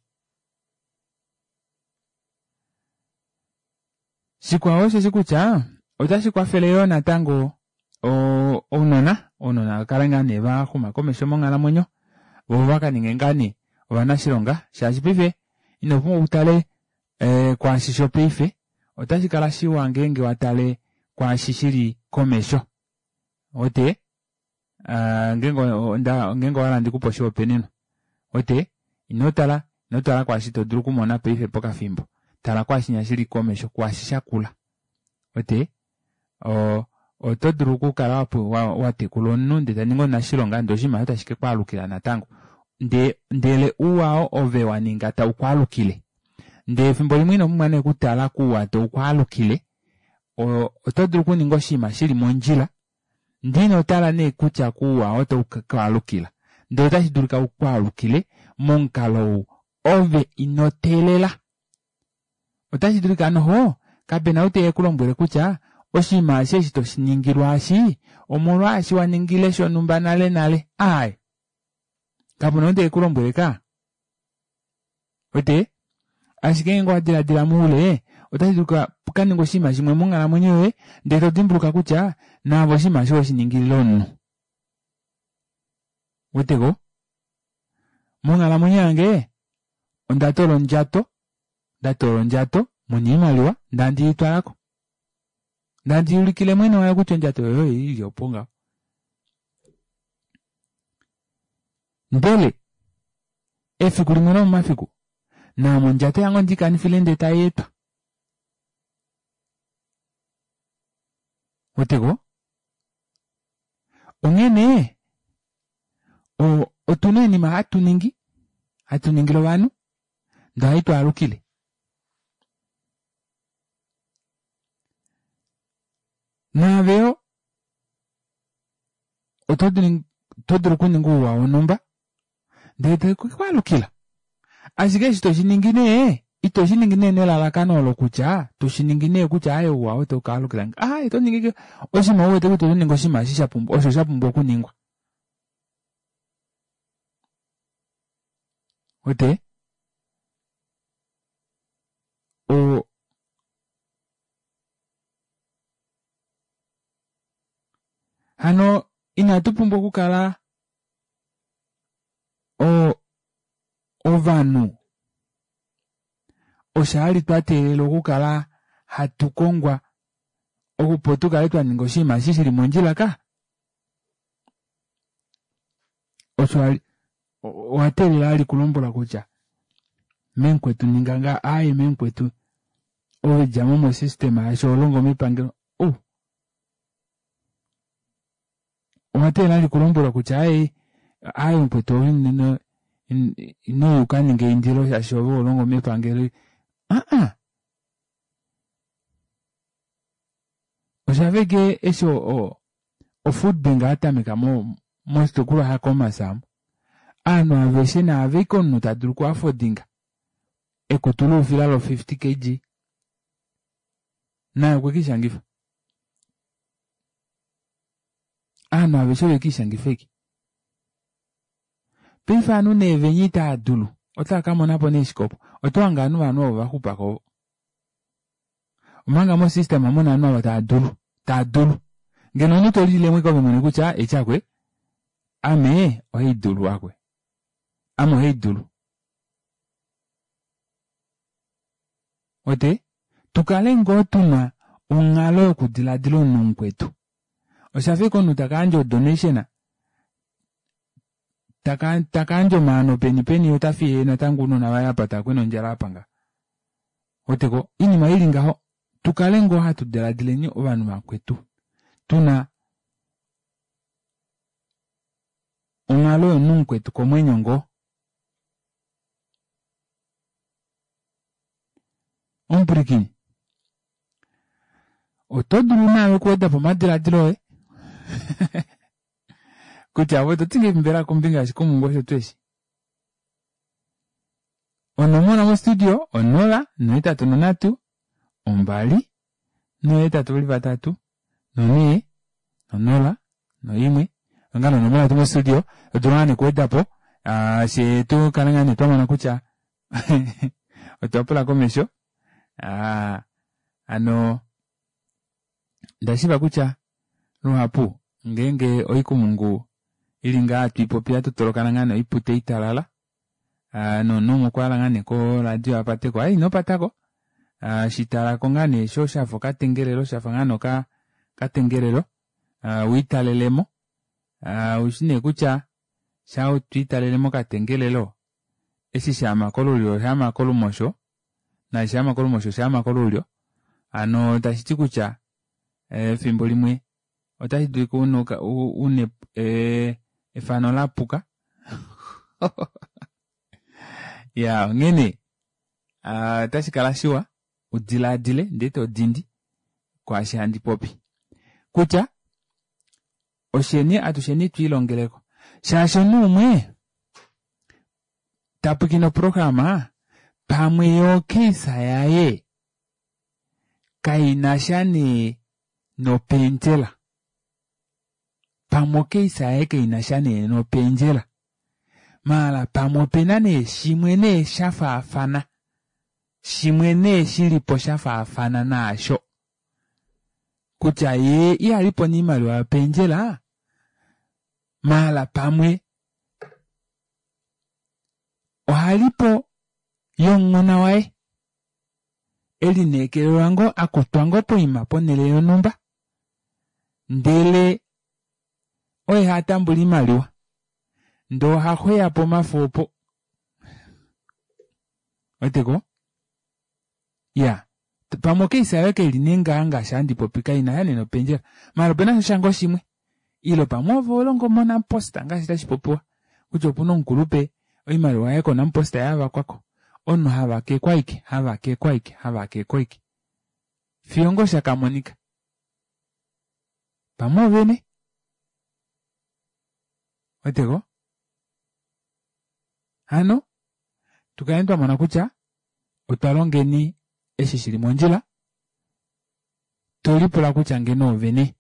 shikwao osheshi kutya otashi kwafele yoo natango ounona ounona vakale ngaa nee vaxuma komesho monghalamwenyo vo vakaninge ngaa nee ovanashilonga shaashi paife ino pumbwa okutale kwaashi shopaife otashi kala shiwa ngeenge watale kwaashi shili komesho ote ngeenge ngeenge owahala ndikupe oshihopaenenwa ote ino tala ino tala kwaashi todulu okumona paife pokafimbo tala kwaashinya shili komesho kwaashi shakula ote oto dulu okukala watekula omunhu ndee taningi omunashilonga ndee oshinima osho tashi kekwaalukila natango ndele ouwa oo ove waninga taukwaalukile ndee efimbo limwe ino pumbwa nee okutala kuuwa taukwaalukile oto dulu okuninga oshinima shili mondjila ndee ino tala nee kutya kuuwa oo taukwaalukila ndee otashi dulika ukwaalukile momukalo ou ove ino teelela otashi dulika noho kapena ou te kulombwele kutya oshinima eshi eshi toshiningilwa eshi omolwaashi wa ningile shonhumba nale nale aaye kapuna ou te kulombwele ka wete ashike ngeenge owa diladila moule otashi dulika pukaninga oshinima shimwe monghalamwenyo yoye ndee to dimbuluka kutya naave oshinima eshi oweshiningilile omunhu weteko monghalamwenyo yange onda toola ondjato ndatoola ondjato muna oimaliwa ndandi itwalako ndandi ulikile mwene wayo kutya ondjato yoye oili opo ngaho ndele efiku limwe lomomafiku naame ondjato yange ondikanifile ndee taietwa weteko onghene otuna oinima hatu ningi hatu ningile ovanhu ndee ohai twaalukile naave yo oto dulu okuninga ouwa wonhumba ndee tekwaalukila ashike eshi toshiningi nee ito shiningi nee nelalakano olo kutya toshiningi nee kutya aaye ouwa oo taukaalukila aaye toningi oshinima uwete kutya otoningi oshinima eshi shapumbwa osho shapumbwa okuningwa wete hano inatu pumbwa okukala ovanhu oshaali twa teelela okukala hatu kongwa opo tukale twaninga oshinima eshi shili mondjila ka osho owa teelela ali kulombwela kutya memukwetu ninga nga aaye memukwetu ove djamo mo system yaashi oholongo mepangelo ou owa teelela ali kulombwelwa kutya aaye aaye mukwetu ove ino ukaninga eindilo shaashi ove oholongo mepangelo aa oshafa ashike eshi. Ofood bank yatameka mo moshitukulwa shaKhomas amu, ovanhu aveshe naave ike omunhu ta dulu okuafodinga ekutu loufila lo 50 kg naye okwe kiishangifa. Ovanhu aveshe ove kiishangifa ike. Paife ovanhu nee venya itaa dulu otava ka mona po nee shike opo? Oto hange ovanhu vanhu ovo va xupako ovo. Omanga mo system muna ovanhu ava tava dulu, tava dulu. Ngeno omunhu to lilile eke ove mwene kutya eci akwe, ame ohai dulu akwe. Ame ohai dulu. Ote, tu kale ngoo tuna onghalo yokudiladila omunhu mukwetu. Osha fa ike omunhu taka yandja odonation, taka taka yandja omaano peni peni ota fiye natango ounona vaye apa tava kwena ondjala apa nga. Weteko, oinima ili ngaho, tu kale ngoo hatu diladileni ovanhu vakwetu. Tuna onghalo yomunhu mukwetu komwenyo ngoo. Omupwilikini, oto dulu naave okuweda po omadiladilo oye kutya ove oto ti ngahelipi mbela kombinga yoshikumungu osho tuu eshi? Onomola mostudio 0 83 2 8 3 4 0 1 ongano onomola yetu mostudio odula ngane kuweda po ah, she tu kale ngane twa mona kutya otwa pula komesho ah, ano ndashiva kutya luhapu ngeenge oikumungu ili ngaa hatu ipopi hatu tolokana ngaa noipute italala ah, nomunhu umwe okwa hala ngaa nee koradio a pateko ai ino patako ah, shi talako ngaa nee sho shafa okatengelelo shafa ngaa nee okatengelelo ah, wiitalelemo ah, ushi nee kutya sha twiitalele mokatengelelo eshi shaama kolulyo oshaama kolumosho naashi shaama kolumosho oshaama kolulyo hano tashi ti kutya efimbo limwe otashi dulika une efano la puka ya onghene otashi kala shiwa udilaadile ndee to dindi kwaashi handi popi kutya osheni atusheni twiilongeleko shaashi omunhu umwe ta pwikine oprograma pamwe yo keisa yaye kaina sha nee nopendjela pamwe okeisa yaye kaina sha nee nopendjela maala pamwe opena nee shimwe nee sha faafana shimwe nee shilipo sha faafana naasho kutya ye ihalipo niimaliwa yopendjela maala pamwe ohalipo yomunghona waye e lineekelelwa ngoo a kutwa ngoo poima ponhele yonhumba ndele oye ha tambula oimaliwa ndee oha xweya po omafo opo weteko ya pamwe okeisa yoye keli nee ngaa ngaashi handi popi kaina sha nee nopendjela maala opena sha ngoo shimwe ile pamwe ove holongo moNampost ngaashi tashi popiwa kutya opuna omukulupe oimaliwa yaye koNampost yavakwako omunhu havakekwa ike havakekwa ike havakekwa ike fiyo ngoo shakamonika pamwe ovene weteko hano tukale twa mona kutya otwa longeni eshi shili mondjila to lipula kutya ngeno ovene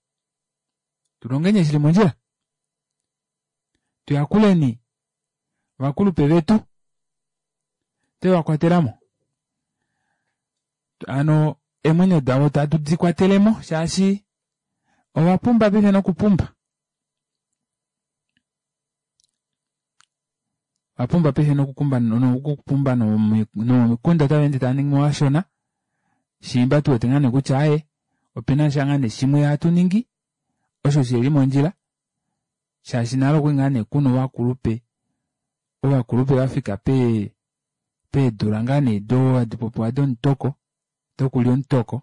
tulongeni eshi shili mondjila tuyakuleni ovakulupe vetu twe va kwatelamo ano eemwenyo davo tatu di kwatelemo shaashi ova pumba paife nokupumba ova pumba paife nokukumba nokupumba nomikunda otava ende tava ningi mo vashona shiimba tu wete ngaa nee kutya aaye opena sha ngaa nee shimwe hatu ningi osho shili mondjila shaashi nale okwali ngaa nee kuna ovakulupe ovakulupe vafika pee peedula ngaa nee do hadi popiwa domutoko dokulya omutoko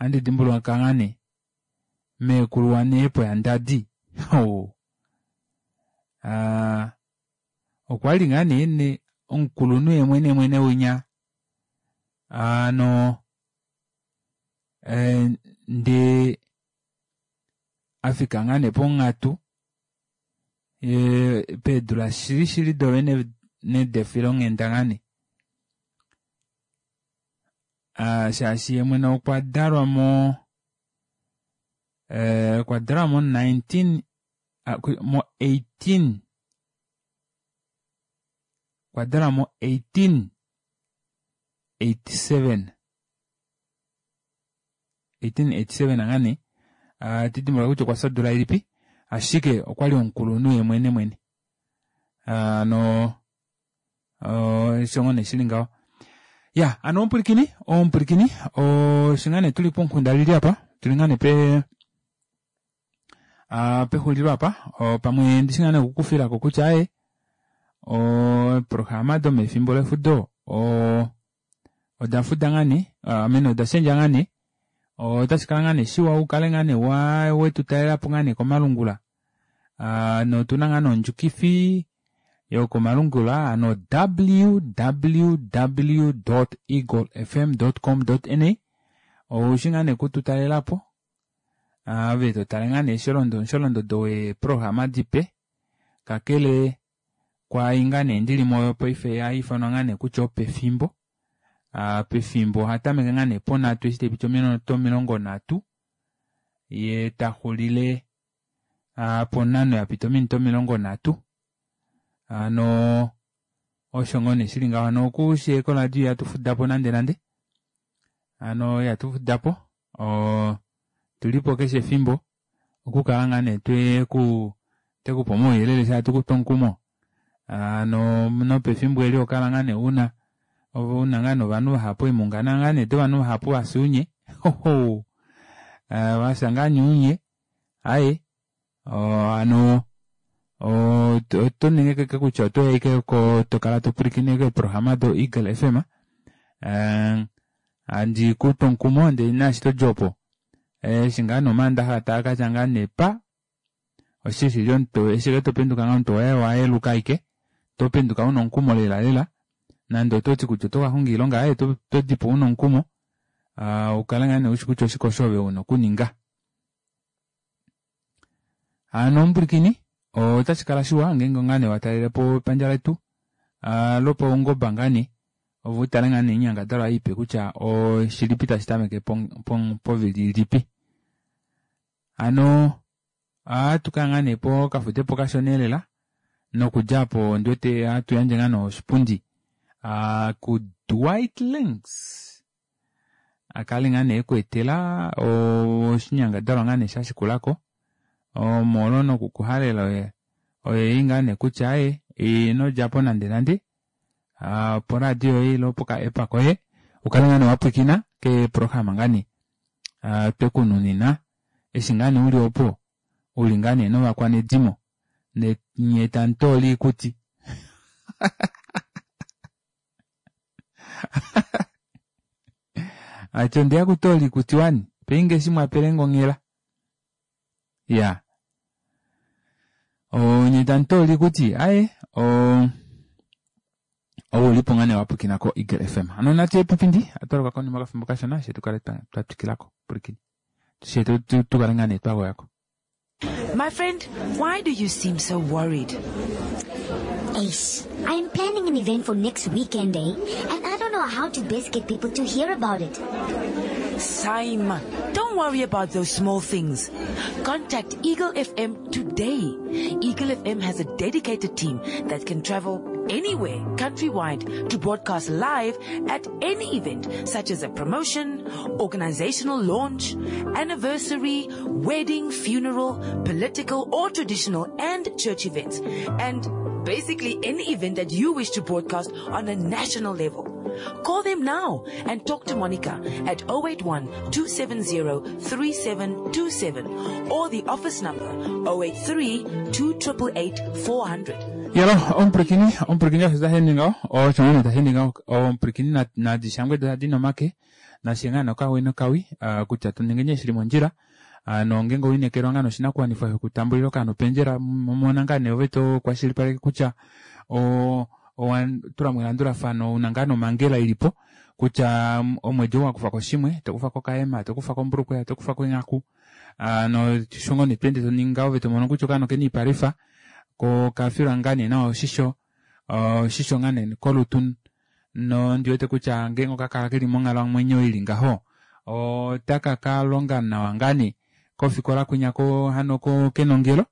ohandi dimbuluka ngaa nee meekulu waneepo yandadi oh. Ah, okwali ngaa nee ne omukulunhu ye mwene mwene winya ano eh, ndee Afika ngaa nee ponghatu peedula shili shili dovene nedefilonghenda ngaa nee. Shaashi ye mwene okwa dalwa mo okwa dalwa mo 19 mo 18 okwa dalwa mo 1887 1887 ngaa nee ati dimbuluka kutya okwa fya odula ilipi ashike okwali omukulunhu ye mwene mwene ano osho ngoo nee shili ngaho ya ano omupwilikini omupwilikini osho ngaa nee tuli pomukunda lili apa tuli ngaa nee pe pexulilo apa pamwe ndishi ngaa nee okukufilako kutya aye oprograma domefimbo lefudo oda fuda ngaa nee amene oda shendja ngaa nee otashi kala ngaa nee shiwa ukale ngaa nee wa wetu talelapo ngaa nee komalungula notuna ngaa nee ondjukifi yokomalungula ano www.eaglefm.com.na oushi ngaa nee kutu talelapo ove totale ngaa nee sholondodo weeprograma dipe kakele kwaai ngaa nee ndili moyo paife haifanwa ngaa nee kutya opefimbo pefimbo ohatameke ngaa nee ponhatu eshi taipiti ominute 30 ye taxulile ponhano yapita ominute 30 hano osho ngoo nee shili ngaho hano okushiye koradio ihatu fudapo nande nande hano ihatu fudapo tulipo keshe efimbo okukala ngaa nee tweku tekupa omauyelele shaa tukupe omukumo hano nopefimbo eli okala ngaa nee una una ngaa nee ovanhu vahapu eemunga ngaa nee dovanhu vahapu vafya unye hoho vafya ngaa nee unye aaye hano oto ningi kutya otoya ashike tokala topwilikine keeprograma do Eagle FM handi kupe omukumo ndee naashi todi opo eshi ngaa nee omaandaxa taakatya ngaa nee pa oshili omuntu eshi topenduka ngaa omuntu owaye wayeluka ashike topenduka una omukumo lela lela nande ototi kutya oto kakonga iilonga aye todipo una omukumo ukale ngaa nee ushi kutya oshike osho ove una okuninga. Hano omupwilikini otashi kala shiwa ngeenge ngaa nee watalelepo epandja letu lopaungoba ngaa nee ove utale ngaa nee oinyangadalwa ipe kutya oshilipi tashi tameke povili ilipi. Hano ohatu kaya ngaa nee pokafudepo kashona elela nokudja apo ondiwete ohatu yandje ngaa nee oshipundi ku Dwight Links akale ngaa nee ekweetela oshinyangadalwa ngaa nee shashikulako omolwo nokukuhalela oyeyi ngaa nee kutya aye inodjapo nande nande poradio yoye ile poka app koye ukale ngaa nee wapwilikina keeprograma ngaa nee twekununina eshi ngaa nee uli opo uli ngaa nee novakwanedimo nye tamutoola iikuti ati ondeya kutoola iikuti wani peinge eshi mwapelenge onghela ya onye tamutoola iikuti aye oulipo ngaa nee wapwilikina ko Eagle FM hano natu epipindi atwaluka konima okafimbo kashona she tukale twatwikilako pwilikini she tukale ngaa nee twagoyako. My friend, why do you seem so worried? Ace, I'm planning an event for next weekend, eh? And I don't know how to best get people to hear about it. Saima, don't worry about those small things. Contact Eagle FM today. Eagle FM has a dedicated team that can travel anywhere, countrywide, to broadcast live at any event, such as a promotion, organizational launch, anniversary, wedding, funeral, political or traditional and church events, and basically any event that you wish to broadcast on a national level. Call them now and talk to Monica at 081-270-3727 or the office number 083-2888-400. Yalo, omupwilikini, omupwilikini osho tashi ningi osho ngoo tashi ningi omupwilikini nadishangwe dadi nomake nashe ngaa nokawi nokawi kutya tuninge nye shili mondjila nongenge owiinekelwa ngaa noshinakuwanifwa shokutambulila okaana opendjela mona ngaa nee ove tokwashilipaleke kutya owa tulamo elandulafano una ngaa nomangela ilipo kutya omwedi ou wakufako shimwe tokufako okahema tokufako ombulukweya tokufako eenghaku. Hano shongo nee tweende toningi ngaho ove tomono kutya okaana okena oipalwifa ko okafilwa ngaa nee nawa oshisho oshisho ngaa nee kolutu nondi wete kutya ngeenge okakala keli monghalamwenyo ili ngaho otaka ka longa nawa ngaa nee kofikola kwinya ko hano kenongelo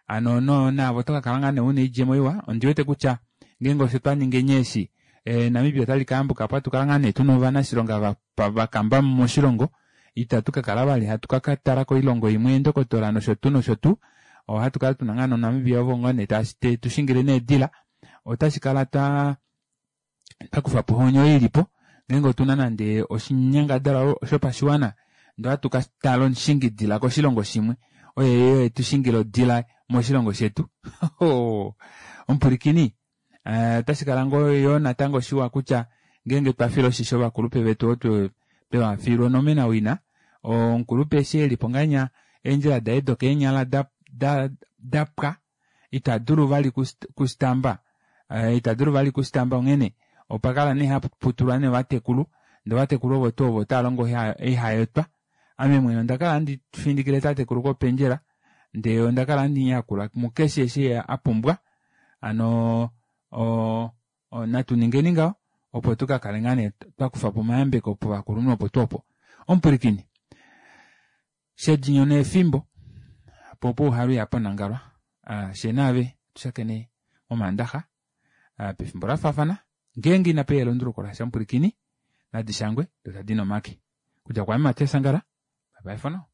hano no naave oto kakala ngaa nee una oidjemo iwa ondi wete kutya ngeenge osho twaningi eshi Namibia otali kayambuka po hatu kala ngaa nee tuna ovanashilonga vakamba moshilongo itatu kakala vali hatu kakatala koilongo imwe eendokotola nosho tuu nosho tuu ohatu kala tuna ngaa noNamibia ovo ngoo nee tushingile needila otashi kala twa twakufa po onyo ilipo ngeenge otuna nande oshinyangadalwa shopashiwana ndee ohatu katala omushingidila koshilongo shimwe oye yo etushingile odila moshilongo shetu omupwilikini otashi kala ngoo yoo natango shiwa kutya ngeenge twafile oshisho ovakulupe vetu ovo tweva fiilwa onomena wina omukulupe eshi elipo ngahenya eendjila daye dokeenyala dapwa ita dulu vali kustamba ita dulu vali kustamba onghene opakala nee haputulwa nee ovatekulu ndee ovatekulu ovo tuu ovo otava longo oihayotwa ame mwene ondakala handi findikile tatekulu kopendjela ndee ondakala handi muyakula mukeshe eshi apumbwa hano natu ningeni ngaho opo tukakale ngaa nee twakufapo omayambeko povakulunhu opo tuu opo. Omupwilikini shedinyo neefimbo po opo uhalu ihapanangalwa fyee naave atushakene momandaxa pefimbo lafaafana ngeenge inapeya elunduluko lasha omupwilikini nadi shangwe doo tadi nomake. Okudja kwaame Matias Angala bye bye for now.